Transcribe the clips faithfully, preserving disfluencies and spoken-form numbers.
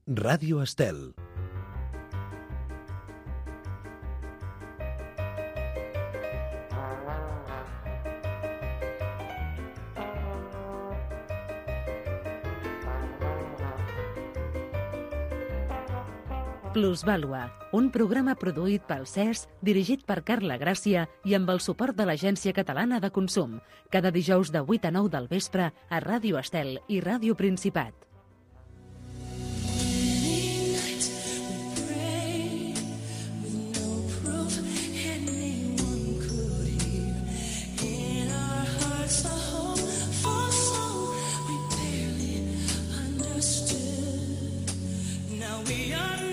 Ràdio Estel. Plusvàlua, un programa produït pel C E S, dirigit per Carla Gràcia i amb el suport de l'Agència Catalana de Consum, cada dijous de vuit a nou del vespre a Ràdio Estel i Ràdio Principat.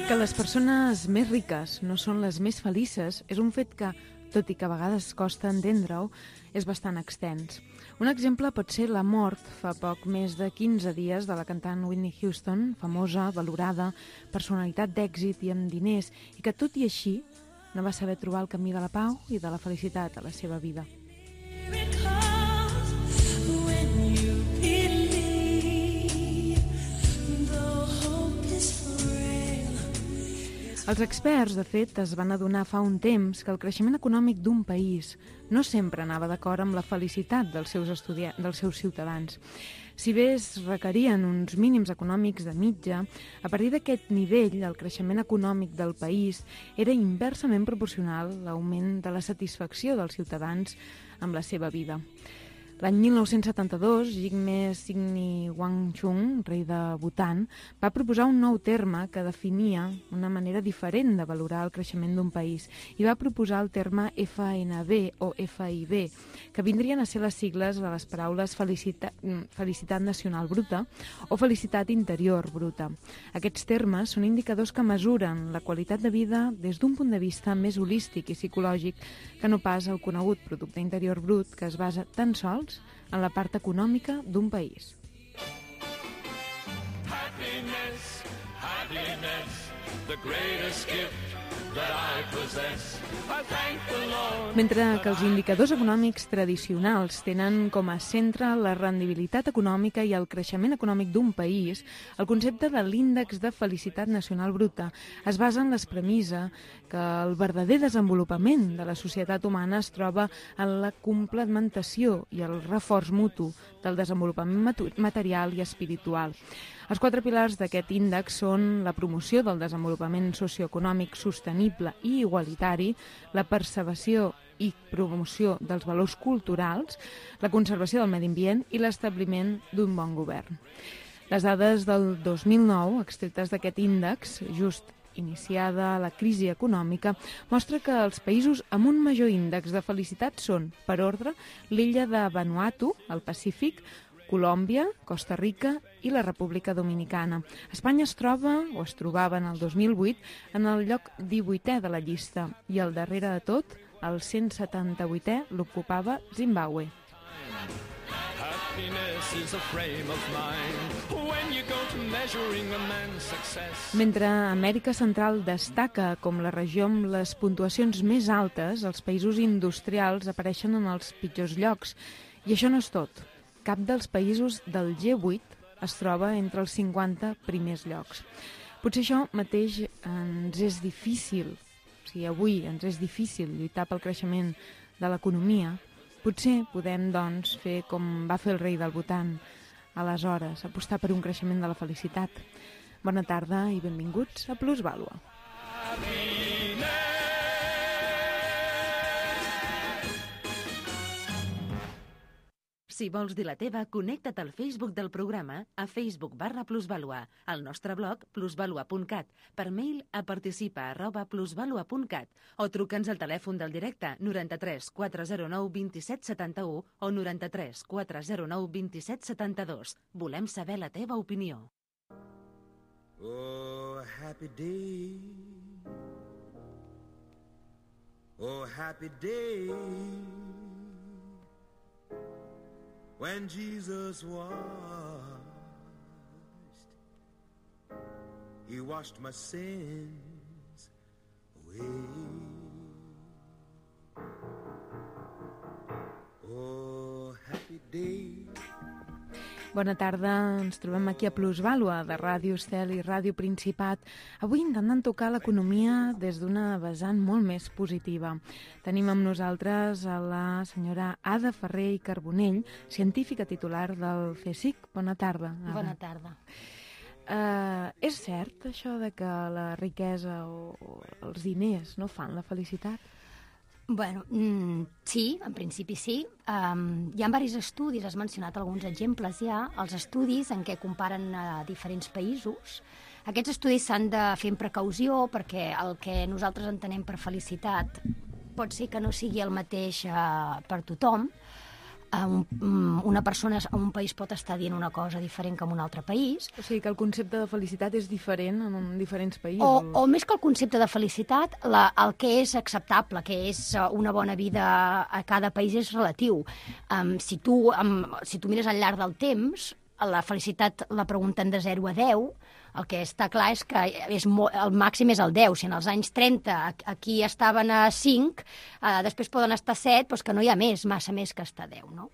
Que les persones més riques no són les més felices és un fet que, tot i que a vegades costa entendre-ho, és bastant extens. Un exemple pot ser la mort fa poc més de quinze dies de la cantant Whitney Houston, famosa, valorada, personalitat d'èxit i amb diners, i que tot i així no va saber trobar el camí de la pau i de la felicitat a la seva vida. Els experts, de fet, es van adonar fa un temps que el creixement econòmic d'un país no sempre anava d'acord amb la felicitat dels seus, estudia- dels seus ciutadans. Si bé es requerien uns mínims econòmics de mitja, a partir d'aquest nivell el creixement econòmic del país era inversament proporcional a l'augment de la satisfacció dels ciutadans amb la seva vida. L'any mil nou-cents setanta-dos, Jigme Singni Wangchung, rei de Bhutan, va proposar un nou terme que definia una manera diferent de valorar el creixement d'un país i va proposar el terme F N B o F I B, que vindrien a ser les sigles de les paraules felicitat, felicitat nacional bruta o felicitat interior bruta. Aquests termes són indicadors que mesuren la qualitat de vida des d'un punt de vista més holístic i psicològic que no pas el conegut producte interior brut, que es basa tan sols en la part econòmica d'un país. Happiness, happiness, the greatest gift that I possess. I thank the Lord. Mentre que els indicadors econòmics tradicionals tenen com a centre la rendibilitat econòmica i el creixement econòmic d'un país, el concepte de l'índex de felicitat nacional bruta es basa en la premissa que el verdader desenvolupament de la societat humana es troba en la complementació i el reforç mutu del desenvolupament material i espiritual. Els quatre pilars d'aquest índex són la promoció del desenvolupament socioeconòmic sostenible i igualitari, la preservació i promoció dels valors culturals, la conservació del medi ambient i l'establiment d'un bon govern. Les dades del dos mil nou, extretes d'aquest índex, just iniciada la crisi econòmica, mostra que els països amb un major índex de felicitat són, per ordre, l'illa de Vanuatu, al Pacífic, Colòmbia, Costa Rica i la República Dominicana. Espanya es troba, o es trobava en el dos mil vuit, en el lloc divuitè de la llista i al darrere de tot, el cent setanta-vuitè, l'ocupava Zimbabue. Mentre Amèrica Central destaca com la regió amb les puntuacions més altes, els països industrials apareixen en els pitjors llocs. I això no és tot. Cap dels països del G vuit es troba entre els cinquanta primers llocs. Potser això mateix ens és difícil, o sigui, avui ens és difícil lluitar pel creixement de l'economia. Potser podem, doncs, fer com va fer el rei del Bhutan, aleshores, apostar per un creixement de la felicitat. Bona tarda i benvinguts a Plusvàlua. Si vols dir la teva, connecta't al Facebook del programa a Facebook barra Plusvàlua, al nostre blog plusvàlua punt cat, per mail a participa arroba plusvàlua punt cat o truca'ns al telèfon del directe noranta-tres quatre zero nou vint-i-set setanta-u o noranta-tres quatre zero nou vint-i-set setanta-dos. Volem saber la teva opinió. Oh, happy day. Oh, happy day. When Jesus washed, He washed my sins away. Oh, happy day. Bona tarda, ens trobem aquí a Plusvàlua, de Ràdio Estel i Ràdio Principat, avui intentant tocar l'economia des d'una vessant molt més positiva. Tenim amb nosaltres a la senyora Ada Ferrer i Carbonell, científica titular del CSIC. Bona tarda, Ada. Bona tarda. Uh, és cert això de que la riquesa o, o els diners no fan la felicitat? Bueno, mm, sí, en principi sí. Um, hi ha diversos estudis, has mencionat alguns exemples ja, els estudis en què comparen a diferents països. Aquests estudis s'han de fer amb precaució perquè el que nosaltres entenem per felicitat pot ser que no sigui el mateix uh, per tothom. Un, una persona a un país pot estar dient una cosa diferent que en un altre país. O sigui que el concepte de felicitat és diferent en diferents països. O, o més que el concepte de felicitat, la, el que és acceptable, que és una bona vida a cada país és relatiu. Um, si, tu, um, si tu mires al llarg del temps, la felicitat la pregunten de zero a deu, el que està clar és que és molt, el màxim és el deu. Si en els anys trenta aquí estaven a cinc, eh, després poden estar a set, doncs que no hi ha més, massa més que estar a deu, no?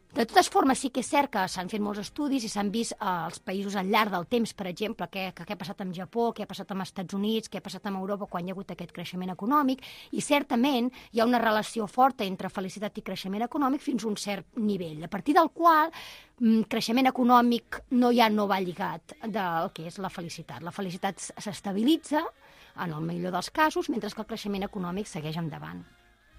De totes formes, sí que és cert que s'han fet molts estudis i s'han vist eh, els països al llarg del temps, per exemple, què, què ha passat amb Japó, què ha passat amb els Estats Units, què ha passat amb Europa quan hi ha hagut aquest creixement econòmic, i certament hi ha una relació forta entre felicitat i creixement econòmic fins a un cert nivell, a partir del qual creixement econòmic no ja no va lligat del que és la felicitat. La felicitat s'estabilitza, en el millor dels casos, mentre que el creixement econòmic segueix endavant.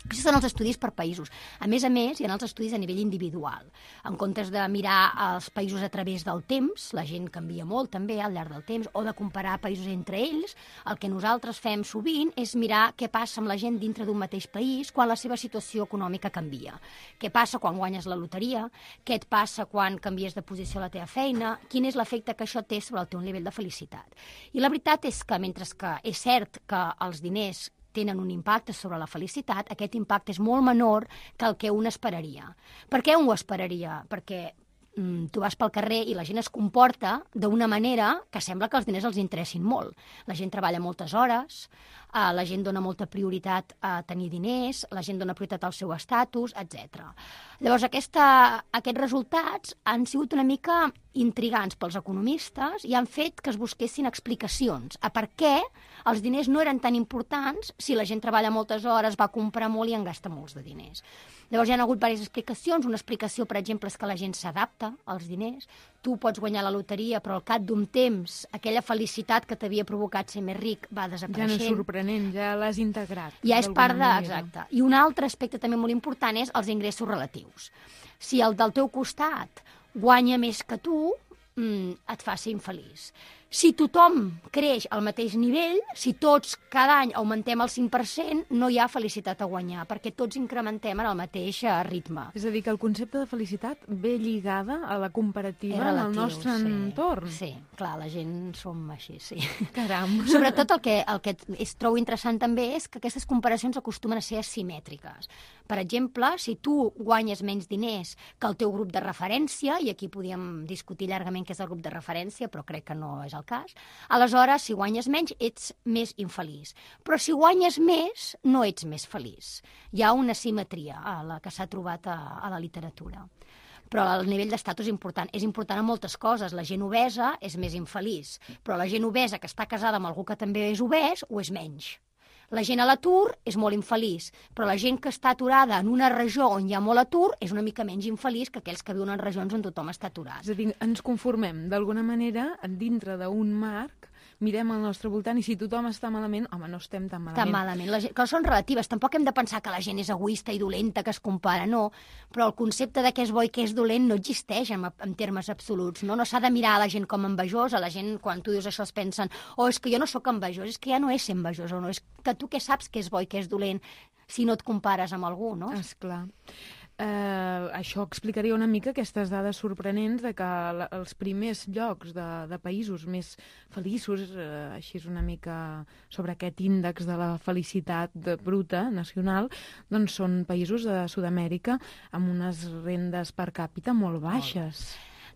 Aquests són els estudis per països. A més a més, hi ha els estudis a nivell individual. En comptes de mirar els països a través del temps, la gent canvia molt també al llarg del temps, o de comparar països entre ells, el que nosaltres fem sovint és mirar què passa amb la gent dintre d'un mateix país quan la seva situació econòmica canvia. Què passa quan guanyes la loteria? Què et passa quan canvies de posició a la teva feina? Quin és l'efecte que això té sobre el teu nivell de felicitat? I la veritat és que, mentre que és cert que els diners tenen un impacte sobre la felicitat, aquest impacte és molt menor que el que un esperaria. Per què un ho esperaria? Perquè mm, tu vas pel carrer i la gent es comporta d'una manera que sembla que els diners els interessin molt. La gent treballa moltes hores, eh, la gent dona molta prioritat a tenir diners, la gent dona prioritat al seu estatus, etcètera. Llavors, aquesta, aquests resultats han sigut una mica intrigants pels economistes i han fet que es busquessin explicacions a per què els diners no eren tan importants si la gent treballa moltes hores, va comprar molt i en gasta molts de diners. Llavors hi ha hagut diverses explicacions. Una explicació, per exemple, és que la gent s'adapta als diners. Tu pots guanyar la loteria, però al cap d'un temps aquella felicitat que t'havia provocat ser més ric va desapareixent. Ja no és sorprenent, ja l'has integrat. Ja és part de... Exacte. I un altre aspecte també molt important és els ingressos relatius. Si el del teu costat guanya més que tu, mm, et fa ser infeliç. Si tothom creix al mateix nivell, si tots cada any augmentem el cinc per cent, no hi ha felicitat a guanyar, perquè tots incrementem en el mateix ritme. És a dir, que el concepte de felicitat ve lligada a la comparativa relatiu, en el nostre sí, entorn. Sí, clar, la gent som així, sí. Caram. Sobretot el que, el que és, trobo interessant també és que aquestes comparacions acostumen a ser asimètriques. Per exemple, si tu guanyes menys diners que el teu grup de referència, i aquí podíem discutir llargament què és el grup de referència, però crec que no és el cas, aleshores, si guanyes menys, ets més infeliç. Però si guanyes més, no ets més feliç. Hi ha una simetria a la que s'ha trobat a, a la literatura. Però el nivell d'estatus és important. És important en moltes coses. La gent obesa és més infeliç, però la gent obesa que està casada amb algú que també és obès ho és menys. La gent a l'atur és molt infeliç, però la gent que està aturada en una regió on hi ha molt atur és una mica menys infeliç que aquells que viuen en regions on tothom està aturat. És a dir, ens conformem d'alguna manera dintre d'un marc, mirem al nostre voltant i si tothom està malament, home, no estem tan malament. Tan malament. Les coses són relatives. Tampoc hem de pensar que la gent és egoista i dolenta, que es compara, no. Però el concepte de què és bo i què és dolent no existeix en, en termes absoluts. No, no s'ha de mirar a la gent com envejosa. La gent, quan tu dius això, es pensen oh, és que jo no sóc envejós, és que ja no és ser envejós, o no, és que tu què saps què és bo i què és dolent si no et compares amb algú, no? Esclar. Uh, això explicaria una mica aquestes dades sorprenents de que la, els primers llocs de, de països més feliços, uh, així és una mica sobre aquest índex de la felicitat de bruta nacional, doncs són països de Sud-amèrica amb unes rendes per càpita molt baixes.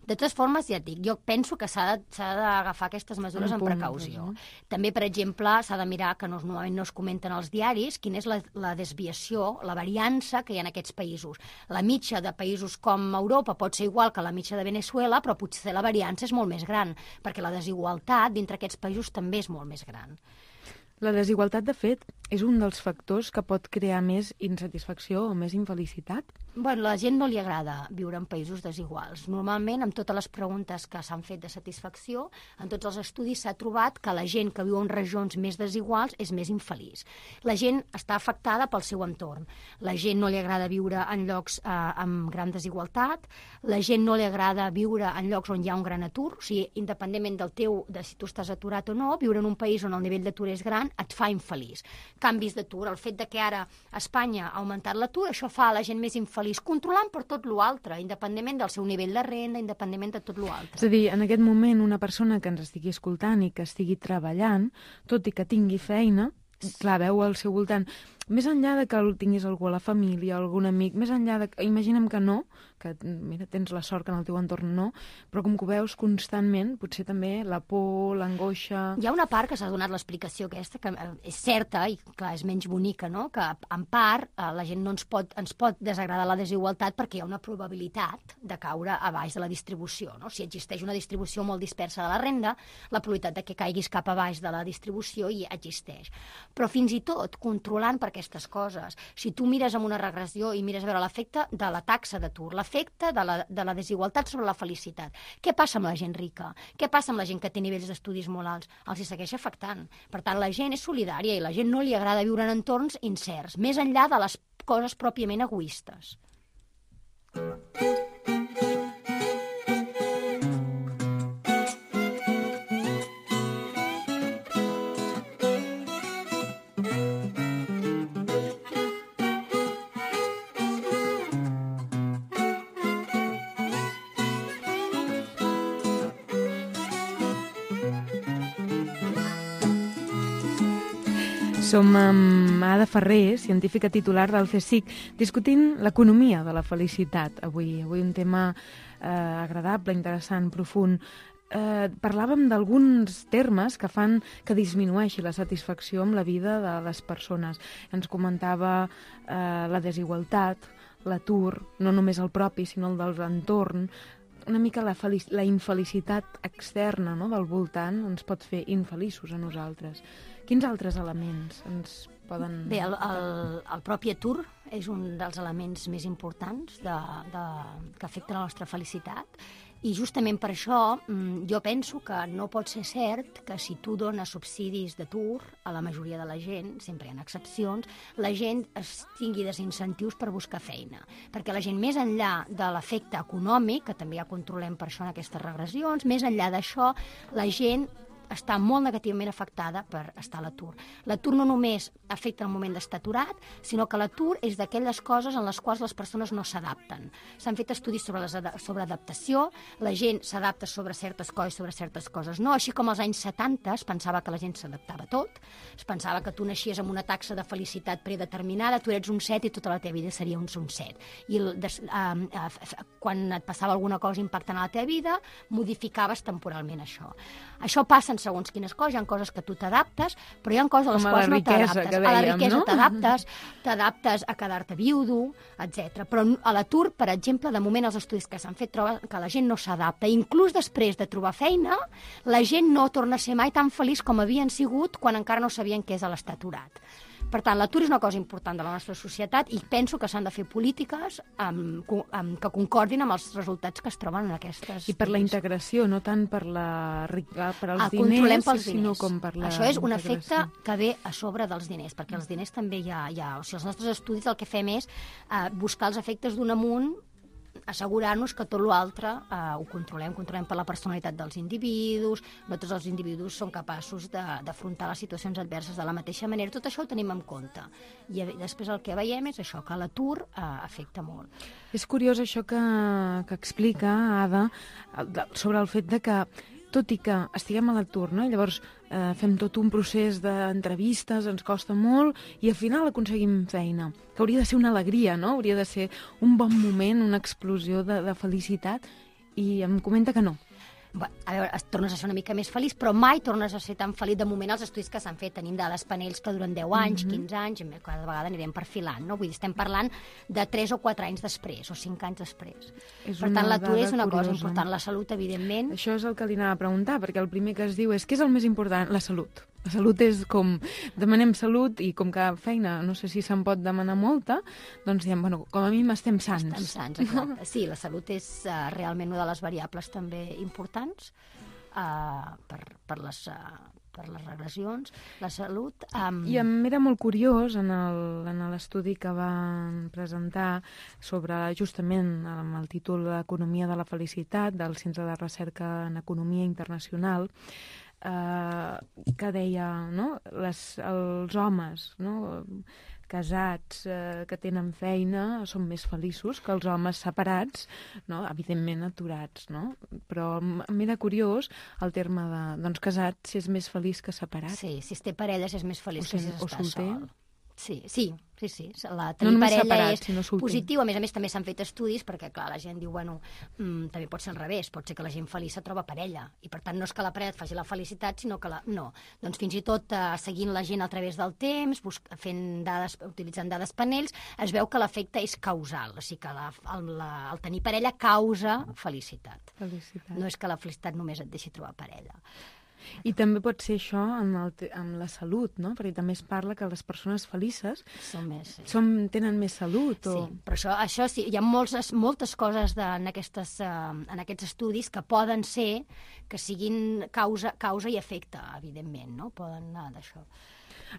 De totes formes, ja et dic, jo penso que s'ha de- s'ha d'agafar aquestes mesures Un amb punt, precaució. doncs, També, per exemple, s'ha de mirar, que no, normalment no es comenten als diaris, quina és la, la desviació, la variança que hi ha en aquests països. La mitja de països com Europa pot ser igual que la mitja de Venezuela, però potser la variança és molt més gran, perquè la desigualtat dintre aquests països també és molt més gran. La desigualtat, de fet, és un dels factors que pot crear més insatisfacció o més infelicitat? Bueno, a la gent no li agrada viure en països desiguals. Normalment, amb totes les preguntes que s'han fet de satisfacció, en tots els estudis s'ha trobat que la gent que viu en regions més desiguals és més infeliç. La gent està afectada pel seu entorn. La gent no li agrada viure en llocs eh, amb gran desigualtat, la gent no li agrada viure en llocs on hi ha un gran atur, o sigui, independentment del teu, de si tu estàs aturat o no, viure en un país on el nivell d'atur és gran et fa infeliç. Canvis d'atur, el fet de que ara a Espanya ha augmentat l'atur, això fa a la gent més infeliç, controlant per tot l'altre, independentment del seu nivell de renda, independentment de tot l'altre. És a dir, en aquest moment, una persona que ens estigui escoltant i que estigui treballant, tot i que tingui feina, clar, veu al seu voltant, més enllà de que tinguis algú a la família, algun amic, més enllà de... Imaginem que no, que mira, tens la sort que en el teu entorn no, però com que ho veus constantment, potser també la por, l'angoixa... Hi ha una part que s'ha donat l'explicació aquesta, que eh, és certa i, clar, és menys bonica, no? Que, en part, eh, la gent no ens pot, ens pot desagradar la desigualtat perquè hi ha una probabilitat de caure a baix de la distribució, no? Si existeix una distribució molt dispersa de la renda, la probabilitat de que caiguis cap a baix de la distribució hi existeix. Però fins i tot, controlant per aquestes coses, si tu mires amb una regressió i mires a veure l'efecte de la taxa d'atur, l'efecte de la, de la desigualtat sobre la felicitat, què passa amb la gent rica? Què passa amb la gent que té nivells d'estudis molt alts? Els hi segueix afectant. Per tant, la gent és solidària i la gent no li agrada viure en entorns incerts, més enllà de les coses pròpiament egoistes. Som amb Ada Ferrer, científica titular del CSIC, discutint l'economia de la felicitat. Avui, avui un tema eh, agradable, interessant, profund. Eh, parlàvem d'alguns termes que fan que disminueixi la satisfacció amb la vida de les persones. Ens comentava eh, la desigualtat, l'atur, no només el propi, sinó el del entorn. Una mica la, felic la infelicitat externa, no?, del voltant ens pot fer infeliços a nosaltres. Quins altres elements ens poden... Bé, el, el, el propi atur és un dels elements més importants de, de, que afecta la nostra felicitat i justament per això jo penso que no pot ser cert que si tu dones subsidis d'atur a la majoria de la gent, sempre hi ha excepcions, la gent es tingui desincentius per buscar feina. Perquè la gent, més enllà de l'efecte econòmic, que també ja controlem per això en aquestes regressions, més enllà d'això, la gent està molt negativament afectada per estar a l'atur. L'atur no només afecta el moment d'estar aturat, sinó que l'atur és d'aquelles coses en les quals les persones no s'adapten. S'han fet estudis sobre, les ad sobre adaptació, la gent s'adapta sobre certes coses, sobre certes coses no, així com als anys setanta es pensava que la gent s'adaptava a tot, es pensava que tu naixies amb una taxa de felicitat predeterminada, tu eres un set i tota la teva vida seria un, un set. I el, des, eh, eh, quan et passava alguna cosa impactant a la teva vida, modificaves temporalment això. Això passa en segons quines coses, hi ha coses que tu t'adaptes, però hi ha coses a les Com a quals la no riquesa, t'adaptes. que A la dèiem, riquesa no? t'adaptes, t'adaptes a quedar-te viudo, etcètera. Però a l'atur, per exemple, de moment els estudis que s'han fet troben que la gent no s'adapta. Inclús després de trobar feina, la gent no torna a ser mai tan feliç com havien sigut quan encara no sabien què és l'estar aturat. Per tant, l'atur és una cosa important de la nostra societat i penso que s'han de fer polítiques amb, amb, que concordin amb els resultats que es troben en aquestes... I per la integració, no tant per, la, per als el diners, pels sinó diners. com per la Això és un integració. efecte que ve a sobre dels diners, perquè els diners també hi ha... Hi ha o sigui, els nostres estudis el que fem és eh, buscar els efectes d'un amunt, assegurar-nos que tot l'altre eh, ho controlem, controlem per la personalitat dels individus, no tots els individus són capaços d'afrontar les situacions adverses de la mateixa manera, tot això ho tenim en compte. I després el que veiem és això, que l'atur eh, afecta molt. És curiós això que, que explica Ada sobre el fet de que tot i que estiguem a l'atur, no? Llavors eh, fem tot un procés d'entrevistes, ens costa molt, i al final aconseguim feina, que hauria de ser una alegria, no? Hauria de ser un bon moment, una explosió de, de felicitat, i em comenta que no. Bé, a veure, es tornes a ser una mica més feliç, però mai tornes a ser tan feliç. De moment, els estudis que s'han fet, tenim dades panells que duren deu anys, mm-hmm. quinze anys, i cada vegada anirem perfilant, no? Vull dir, estem parlant de tres o quatre anys després, o cinc anys després. És per tant, l'atur és una curiosa. cosa important. La salut, evidentment... Això és el que li anava a preguntar, perquè el primer que es diu és què és el més important? La salut. La salut és com... Demanem salut i com que feina, no sé si se'n pot demanar molta, doncs diem, bueno, com a mínim estem sants. Estem sants, exacte. Sí, la salut és uh, realment una de les variables també importants uh, per, per, les, uh, per les regressions. La salut... Um... I em era molt curiós en el- en l'estudi que van presentar sobre justament amb el títol L'economia de la felicitat del Centre de Recerca en Economia Internacional, eh, que deia, no? Les, els homes, no? casats eh, que tenen feina són més feliços que els homes separats, no? Evidentment aturats, no? Però m- m'era curiós el terme de, doncs, casat, si és més feliç que separat. Sí, si es té parella és més feliç O que si- si o s'està solter. sol. Sí, sí, sí, sí. La, No tenir només parella separat, és sinó solter. positiu. A més a més, també s'han fet estudis perquè, clar, la gent diu, bueno, mm, també pot ser al revés, pot ser que la gent feliç se troba parella. I, per tant, no és que la parella et faci la felicitat, sinó que la... No. Doncs fins i tot eh, seguint la gent a través del temps, busc... fent dades, utilitzant dades panells, es veu que l'efecte és causal. O sigui que la, el, la, el tenir parella causa felicitat. Felicitat. No és que la felicitat només et deixi trobar parella. I també pot ser això amb, el, te- amb la salut, no? Perquè també es parla que les persones felices Som més... Sí. som, tenen més salut. O... Sí, però això, això sí, hi ha moltes, moltes coses de, en, aquestes, uh, en aquests estudis que poden ser que siguin causa, causa i efecte, evidentment, no? Poden anar d'això.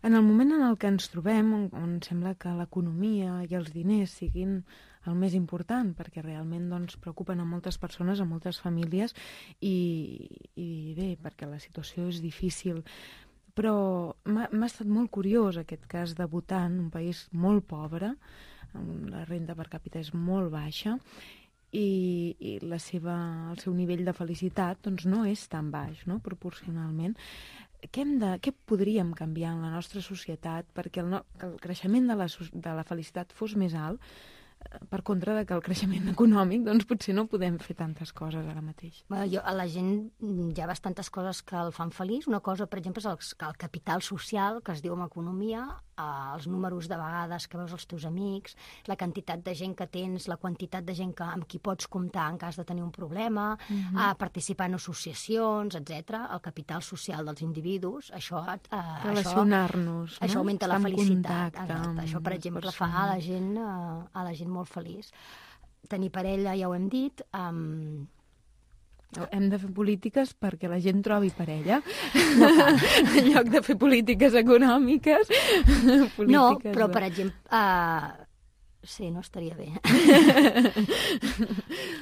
En el moment en el que ens trobem, on, on sembla que l'economia i els diners siguin el més important, perquè realment doncs, preocupen a moltes persones, a moltes famílies, i, i bé, perquè la situació és difícil. Però m'ha m'ha estat molt curiós aquest cas de Bhutan, un país molt pobre, on la renda per càpita és molt baixa, i, i la seva, el seu nivell de felicitat doncs, no és tan baix, no?, proporcionalment. Què, hem de, què podríem canviar en la nostra societat perquè el, no, que el creixement de la, so- de la felicitat fos més alt, eh, per contra de que el creixement econòmic, doncs potser no podem fer tantes coses ara mateix. Bueno, jo, a la gent mm, hi ha bastantes coses que el fan feliç. Una cosa, per exemple, és el, que el capital social, que es diu en economia, eh, els números de vegades que veus els teus amics, la quantitat de gent que tens, la quantitat de gent que, amb qui pots comptar en cas de tenir un problema, Mhm. a participar en associacions, etcètera. El capital social dels individus, això... Eh, això Relacionar-nos, Això no? augmenta Estar la en felicitat. contacte Exacte. amb Això, per les exemple, fa a la persones. gent, eh, a la gent molt feliç. Tenir parella, ja ho hem dit. Um, Hem de fer polítiques perquè la gent trobi parella. En lloc de fer polítiques econòmiques. polítiques no, però, de- per exemple... Uh, sí, no estaria bé.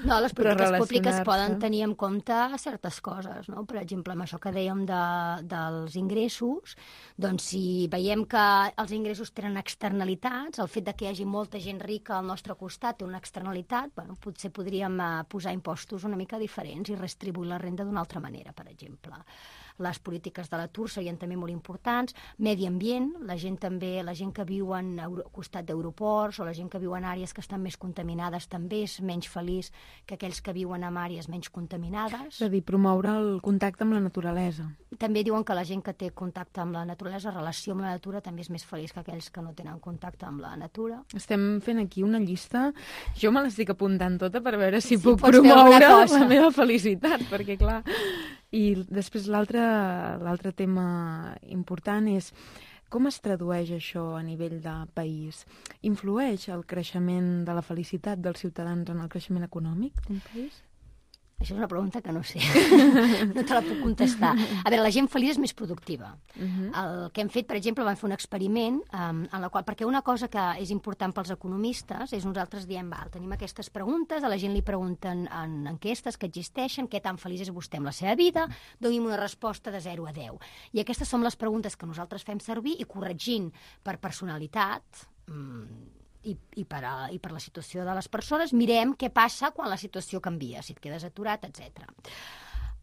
No, les Però polítiques públiques relacionar-se. poden tenir en compte certes coses, no? Per exemple, amb això que dèiem de, dels ingressos, doncs si veiem que els ingressos tenen externalitats, el fet de que hi hagi molta gent rica al nostre costat té una externalitat, bueno, potser podríem eh, posar impostos una mica diferents i redistribuir la renda d'una altra manera, per exemple. Les polítiques de l'atur serien també molt importants. Medi ambient, la gent també, la gent que viu en euro, costat d'aeroports o la gent que viu en àrees que estan més contaminades també és menys feliç que aquells que viuen en àrees menys contaminades. És a dir, promoure el contacte amb la naturalesa. També diuen que la gent que té contacte amb la naturalesa, relació amb la natura, també és més feliç que aquells que no tenen contacte amb la natura. Estem fent aquí una llista. Jo me l'estic apuntant tota per veure si Sí, puc pots fer promoure alguna cosa. la meva felicitat, perquè clar... I després l'altre l'altre tema important és com es tradueix això a nivell de país? Influeix el creixement de la felicitat dels ciutadans en el creixement econòmic d'un país? Això és una pregunta que no sé. No te la puc contestar. A veure, la gent feliç és més productiva. Mhm. El que hem fet, per exemple, vam fer un experiment um, en la qual, perquè una cosa que és important pels economistes és nosaltres diem, val, tenim aquestes preguntes, a la gent li pregunten en enquestes que existeixen, què tan feliç és vostè amb la seva vida, doni'm una resposta de zero a deu. I aquestes són les preguntes que nosaltres fem servir i corregint per personalitat, mm, I, i, per a, i per la situació de les persones, mirem què passa quan la situació canvia, si et quedes aturat, etcètera.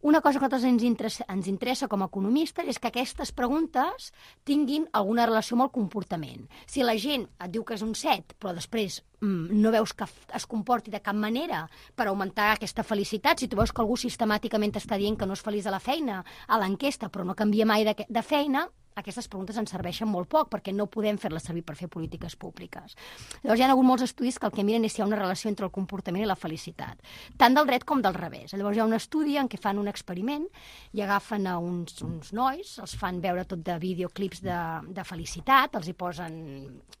Una cosa que a nosaltres ens interessa, ens interessa com a economistes és que aquestes preguntes tinguin alguna relació amb el comportament. Si la gent et diu que és un set, però després mm, no veus que es comporti de cap manera per augmentar aquesta felicitat, si tu veus que algú sistemàticament t'està dient que no és feliç a la feina, a l'enquesta, però no canvia mai de, de feina, aquestes preguntes ens serveixen molt poc perquè no podem fer-les servir per fer polítiques públiques. Llavors hi ha hagut molts estudis que el que miren és si hi ha una relació entre el comportament i la felicitat, tant del dret com del revés. Llavors hi ha un estudi en què fan un experiment i agafen a uns, uns nois, els fan veure tot de videoclips de, de felicitat, els hi posen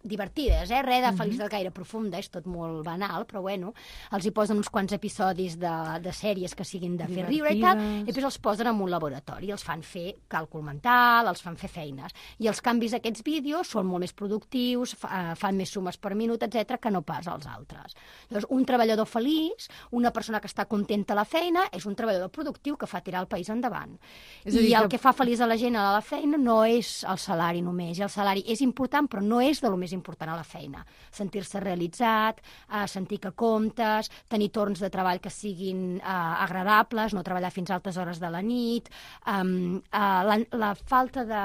divertides, eh? Res de felicitat gaire profunda, és tot molt banal, però bueno, els hi posen uns quants episodis de, de sèries que siguin de fer riure i tal, i després els posen en un laboratori, els fan fer càlcul mental, els fan fer feines. I els canvis d'aquests vídeos són molt més productius, fa, fan més sumes per minut, etcètera, que no pas els altres. Llavors, un treballador feliç, una persona que està contenta a la feina, és un treballador productiu que fa tirar el país endavant. És I el que... que fa feliç a la gent a la feina no és el salari només. I el salari és important, però no és de lo més important a la feina. Sentir-se realitzat, eh, sentir que comptes, tenir torns de treball que siguin eh, agradables, no treballar fins a altes hores de la nit, eh, eh, la, la falta de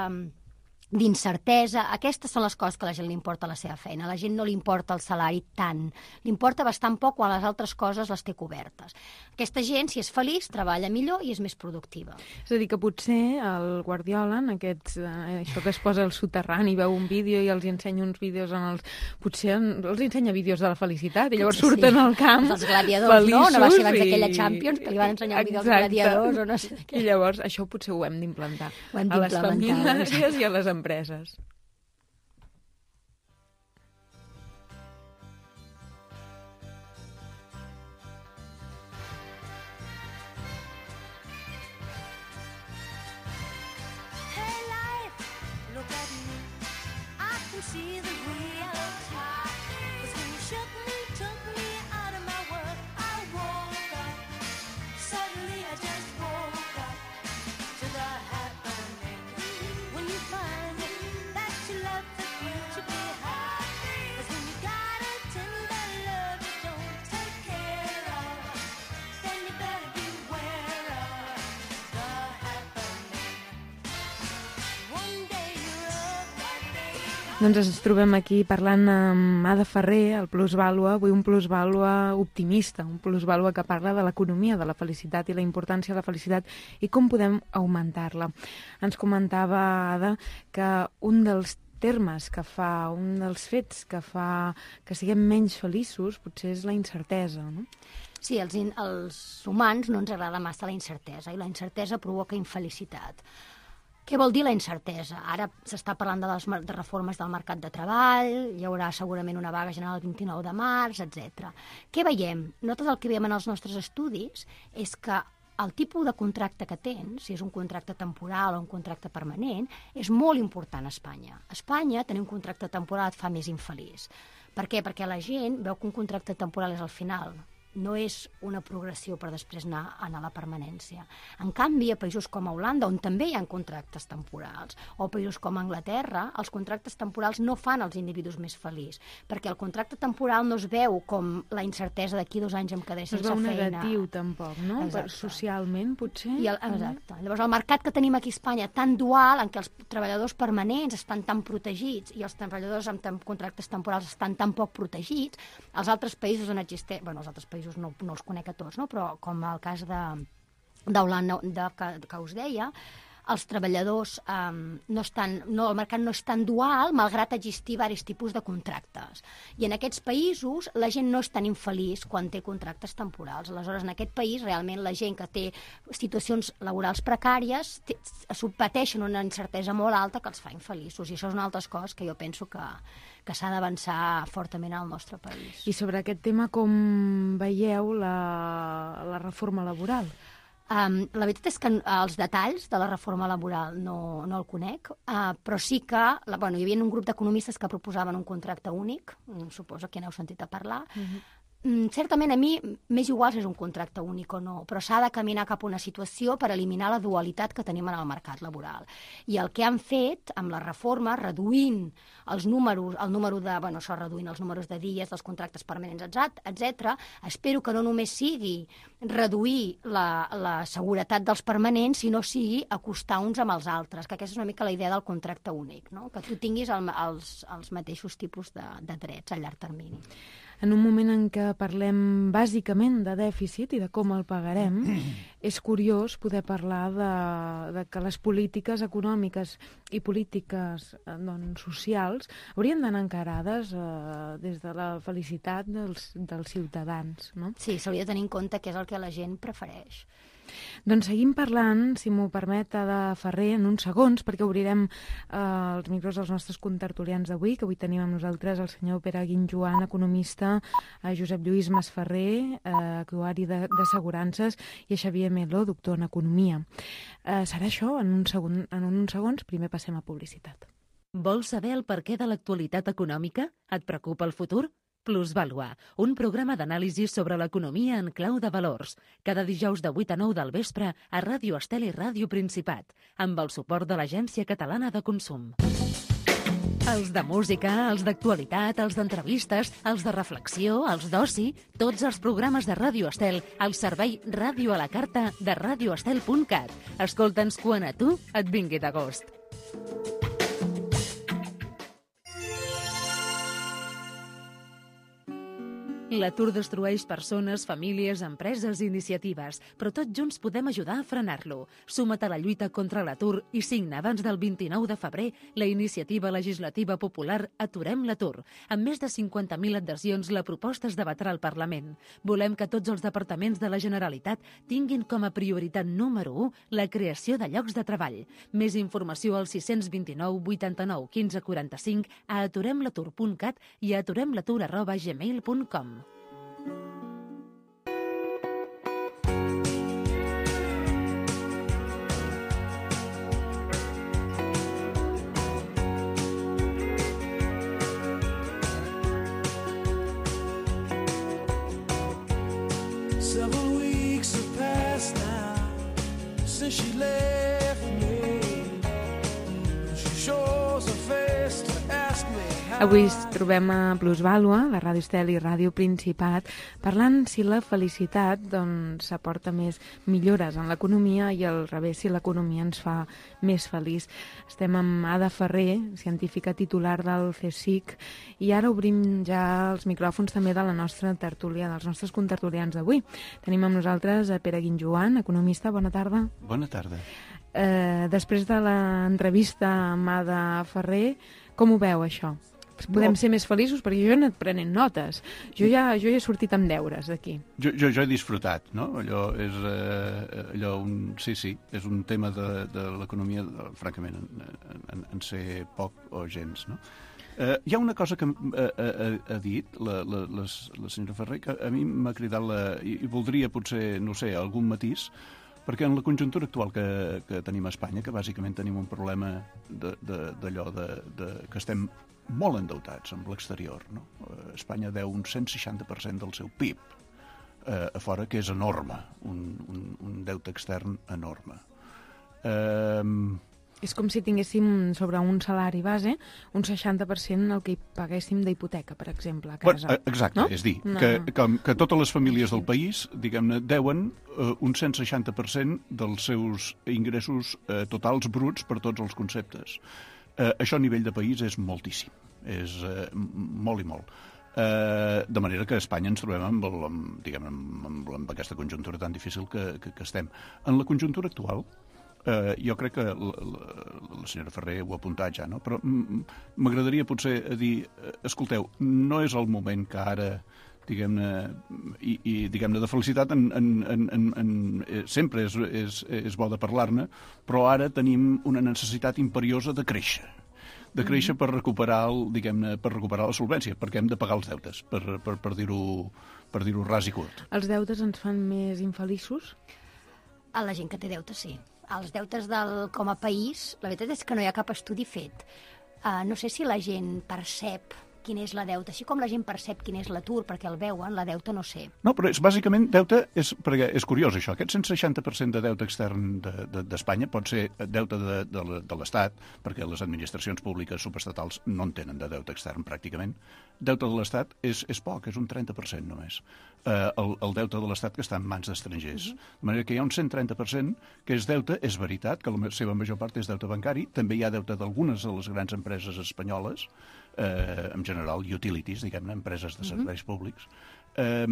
d'incertesa, aquestes són les coses que a la gent li importa la seva feina. A la gent no li importa el salari tant. Li importa bastant poc quan les altres coses les té cobertes. Aquesta gent, si és feliç, treballa millor i és més productiva. És a dir, que potser el Guardiola, en aquests, eh, això que es posa al soterrani, veu un vídeo i els ensenya uns vídeos en els... Potser els ensenya vídeos de la felicitat i llavors sí, surten sí. al camp els gladiadors, feliços, no? No va ser abans i... d'aquella Champions que li van ensenyar un vídeo als gladiadors o no sé què. I llavors això potser ho hem d'implantar Ho hem a les d'implementar, famílies i a les empreses. Hey life, look at me. I can see the reality. 'Cause when you shook me, took me out of my world, I woke up. Suddenly I just woke up to the happening. When you find that you left the future behind. 'Cause when you got a tender love you don't take care of, then you better beware of the happening. One day you're up, one day you're up. Doncs ens trobem aquí parlant amb Ada Ferrer, el Plusvàlua, avui un Plusvàlua optimista, un Plusvàlua que parla de l'economia, de la felicitat i la importància de la felicitat i com podem augmentar-la. Ens comentava, Ada, que un dels termes que fa, un dels fets que fa que siguem menys feliços potser és la incertesa, no? Sí, els, in, els humans no ens agrada massa la incertesa i la incertesa provoca infelicitat. Què vol dir la incertesa? Ara s'està parlant de les de reformes del mercat de treball, hi haurà segurament una vaga general el vint-i-nou de març, etcètera. Què veiem? Nosaltres el que veiem en els nostres estudis és que el tipus de contracte que tens, si és un contracte temporal o un contracte permanent, és molt important a Espanya. A Espanya tenir un contracte temporal et fa més infeliç. Per què? Perquè la gent veu que un contracte temporal és al final. No és una progressió per després anar, anar a la permanència. En canvi, a països com a Holanda, on també hi ha contractes temporals, o països com a Anglaterra, els contractes temporals no fan els individus més feliços, perquè el contracte temporal no es veu com la incertesa d'aquí dos anys em quedaré sense feina. No es veu negatiu, tampoc, no? Exacte. Socialment, potser. I el, exacte. Llavors, el mercat que tenim aquí a Espanya, tan dual, en què els treballadors permanents estan tan protegits i els treballadors amb tem contractes temporals estan tan poc protegits, els altres països on existeix... Bueno, els altres països no, no els conec a tots, no? Però com el cas d'Holanda que, que us deia, els treballadors um, no estan, no, el mercat no és tan dual, malgrat existir diversos tipus de contractes. I en aquests països la gent no és tan infeliç quan té contractes temporals. Aleshores, en aquest país, realment, la gent que té situacions laborals precàries té, pateixen una incertesa molt alta que els fa infeliços. I això és una altra cosa que jo penso que, que s'ha d'avançar fortament al nostre país. I sobre aquest tema, com veieu la, la reforma laboral? Um, la veritat és que els detalls de la reforma laboral no, no el conec, uh, però sí que la, bueno, hi havia un grup d'economistes que proposaven un contracte únic, suposo que n'heu sentit a parlar, uh-huh. Mm, certament a mi m'és igual si és un contracte únic o no, però s'ha de caminar cap a una situació per eliminar la dualitat que tenim en el mercat laboral. I el que han fet amb la reforma, reduint els números, el número de, bueno, això reduint els números de dies, dels contractes permanents, etcètera, espero que no només sigui reduir la, la seguretat dels permanents, sinó sigui acostar uns amb els altres, que aquesta és una mica la idea del contracte únic, no? Que tu tinguis el, els, els mateixos tipus de, de drets a llarg termini. En un moment en què parlem bàsicament de dèficit i de com el pagarem, és curiós poder parlar de, de que les polítiques econòmiques i polítiques doncs, socials haurien d'anar encarades eh, des de la felicitat dels, dels ciutadans, no? Sí, s'hauria de tenir en compte què és el que la gent prefereix. Doncs seguim parlant, si m'ho permet, de Ferrer, en uns segons, perquè obrirem eh, els micros dels nostres contertulians d'avui, que avui tenim amb nosaltres el senyor Pere Guinjoan, economista, a Josep Lluís Masferrer, eh, actuari d'assegurances, i a Xavier Melo, doctor en economia. Eh, serà això en, un segon, en uns segons. Primer passem a publicitat. Vols saber el perquè de l'actualitat econòmica? Et preocupa el futur? Plusvàlua, un programa d'anàlisi sobre l'economia en clau de valors. Cada dijous de vuit a nou del vespre a Ràdio Estel i Ràdio Principat, amb el suport de l'Agència Catalana de Consum. Els de música, els d'actualitat, els d'entrevistes, els de reflexió, els d'oci, tots els programes de Ràdio Estel al servei Ràdio a la Carta de radioestel punt cat. Escolta'ns quan a tu et vingui de gust. L'atur destrueix persones, famílies, empreses i iniciatives, però tots junts podem ajudar a frenar-lo. Suma't a la lluita contra l'atur i signa abans del vint-i-nou de febrer la iniciativa legislativa popular Aturem l'atur. Amb més de cinquanta mil adhesions, la proposta es debatrà al Parlament. Volem que tots els departaments de la Generalitat tinguin com a prioritat número u la creació de llocs de treball. Més informació al sis dos nou, vuitanta-nou, quinze, quaranta-cinc, a aturem l'atur punt cat i a aturem l'atur arroba gmail punt com. Several weeks have passed now since she left me. She shows her face to ask me how. Avui ens trobem a Plusvàlua, la Ràdio Estel i Ràdio Principat, parlant si la felicitat doncs, aporta més millores en l'economia i al revés, si l'economia ens fa més feliç. Estem amb Ada Ferrer, científica titular del CSIC, i ara obrim ja els micròfons també de la nostra tertúlia, dels nostres contertulians d'avui. Tenim amb nosaltres a Pere Guinjoan, economista. Bona tarda. Bona tarda. Eh, després de l'entrevista amb Ada Ferrer, com ho veu, això? Podem ser més feliços? Perquè jo he anat prenent notes. Jo ja, jo ja he sortit amb deures d'aquí. Jo, jo, jo he disfrutat, no? Allò és, eh, allò un, sí, sí, és un tema de, de l'economia, francament, en, en, en sé poc o gens, no? Eh, hi ha una cosa que eh, ha, ha dit la, la, la, la senyora Ferrer que a mi m'ha cridat la, i, i voldria potser, no sé, algun matís, perquè en la conjuntura actual que, que tenim a Espanya, que bàsicament tenim un problema d'allò de, de, de, que estem molt endeutats amb l'exterior, no? Espanya deu un cent seixanta per cent del seu P I B eh, a fora, que és enorme, un, un, un deute extern enorme. Eh, És com si tinguéssim sobre un salari base un seixanta per cent el que hi paguéssim d'hipoteca, per exemple, a casa. Bueno, exacte, no? És dir, no. que, que, que totes les famílies del país, diguem-ne, deuen eh, un cent seixanta per cent dels seus ingressos eh, totals bruts per tots els conceptes. Eh, això a nivell de país és moltíssim, és eh, molt i molt. Eh, de manera que a Espanya ens trobem amb, el, amb, diguem, amb, amb, amb aquesta conjuntura tan difícil que, que, que estem. En la conjuntura actual, eh, jo crec que la, la, la senyora Ferrer ho ha apuntat ja, no? Però m'agradaria potser dir, escolteu, no és el moment que ara, diguem-ne, i, i diguem-ne de felicitat en, en, en, en, en, sempre és, és, és bo de parlar-ne, però ara tenim una necessitat imperiosa de créixer. de créixer per recuperar, el, diguem-ne, per recuperar la solvència, perquè hem de pagar els deutes, per, per, per dir-ho per dir-ho ras i curt. Els deutes ens fan més infeliços? A la gent que té deutes, sí. Els deutes del, com a país, la veritat és que no hi ha cap estudi fet. Uh, no sé si la gent percep quin és la deute. Així com la gent percep quin és l'atur perquè el veuen, la deute no sé. No, però és, bàsicament, deute, és, perquè és curiós això, aquest cent seixanta per cent de deute extern d'Espanya de, de, pot ser deute de, de, de l'Estat, perquè les administracions públiques subestatals no en tenen de deute extern pràcticament. Deute de l'Estat és, és poc, és un trenta per cent només. Eh, el, el deute de l'Estat que està en mans d'estrangers. Uh-huh. De manera que hi ha un cent trenta per cent que és deute, és veritat, que la seva major part és deute bancari, també hi ha deute d'algunes de les grans empreses espanyoles, eh, en general utilities, diguem-ne, empreses de serveis uh-huh. públics, eh,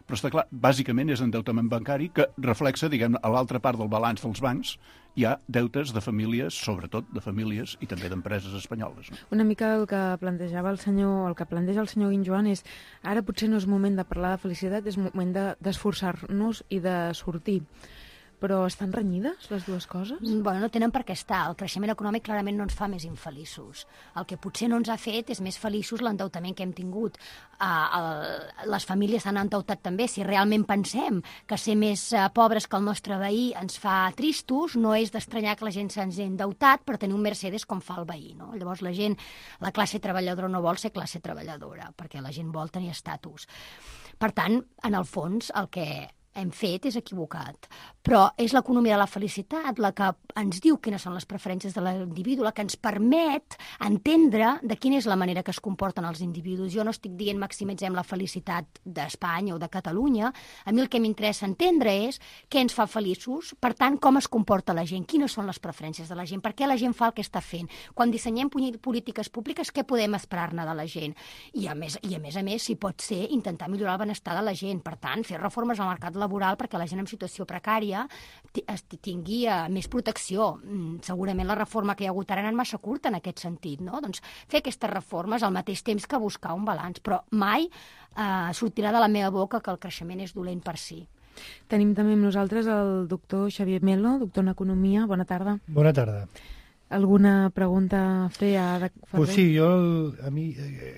però està clar, bàsicament és endeutament bancari que reflexa, diguem-ne, a l'altra part del balanç dels bancs hi ha deutes de famílies, sobretot de famílies i també d'empreses espanyoles. No? Una mica el que plantejava el senyor, el que planteja el senyor Guinjoan és ara potser no és moment de parlar de felicitat, és moment de, d'esforçar-nos i de sortir. Però estan renyides les dues coses? Bueno, no tenen per què estar. El creixement econòmic clarament no ens fa més infeliços. El que potser no ens ha fet és més feliços l'endeutament que hem tingut. Uh, el, les famílies s'han endeutat també. Si realment pensem que ser més uh, pobres que el nostre veí ens fa tristos, no és d'estranyar que la gent se'ns ha endeutat per tenir un Mercedes com fa el veí. No? Llavors la gent, la classe treballadora no vol ser classe treballadora, perquè la gent vol tenir estatus. Per tant, en el fons, el que hem fet és equivocat. Però és l'economia de la felicitat la que ens diu quines són les preferències de l'individu, la que ens permet entendre de quina és la manera que es comporten els individus. Jo no estic dient maximitzem la felicitat d'Espanya o de Catalunya. A mi el que m'interessa entendre és què ens fa feliços, per tant, com es comporta la gent, quines són les preferències de la gent, per què la gent fa el que està fent. Quan dissenyem polítiques públiques, què podem esperar-ne de la gent? I a més, i a més a més, si pot ser, intentar millorar el benestar de la gent. Per tant, fer reformes al mercat laboral perquè la gent en situació precària tingui més protecció. Segurament la reforma que hi ha hagut ara ha anat massa curta en aquest sentit, no? Doncs fer aquestes reformes al mateix temps que buscar un balanç, però mai eh, sortirà de la meva boca que el creixement és dolent per si. Tenim també amb nosaltres el doctor Xavier Melo, doctor en Economia. Bona tarda. Bona tarda. Alguna pregunta a fer a Pues sí, jo a mi,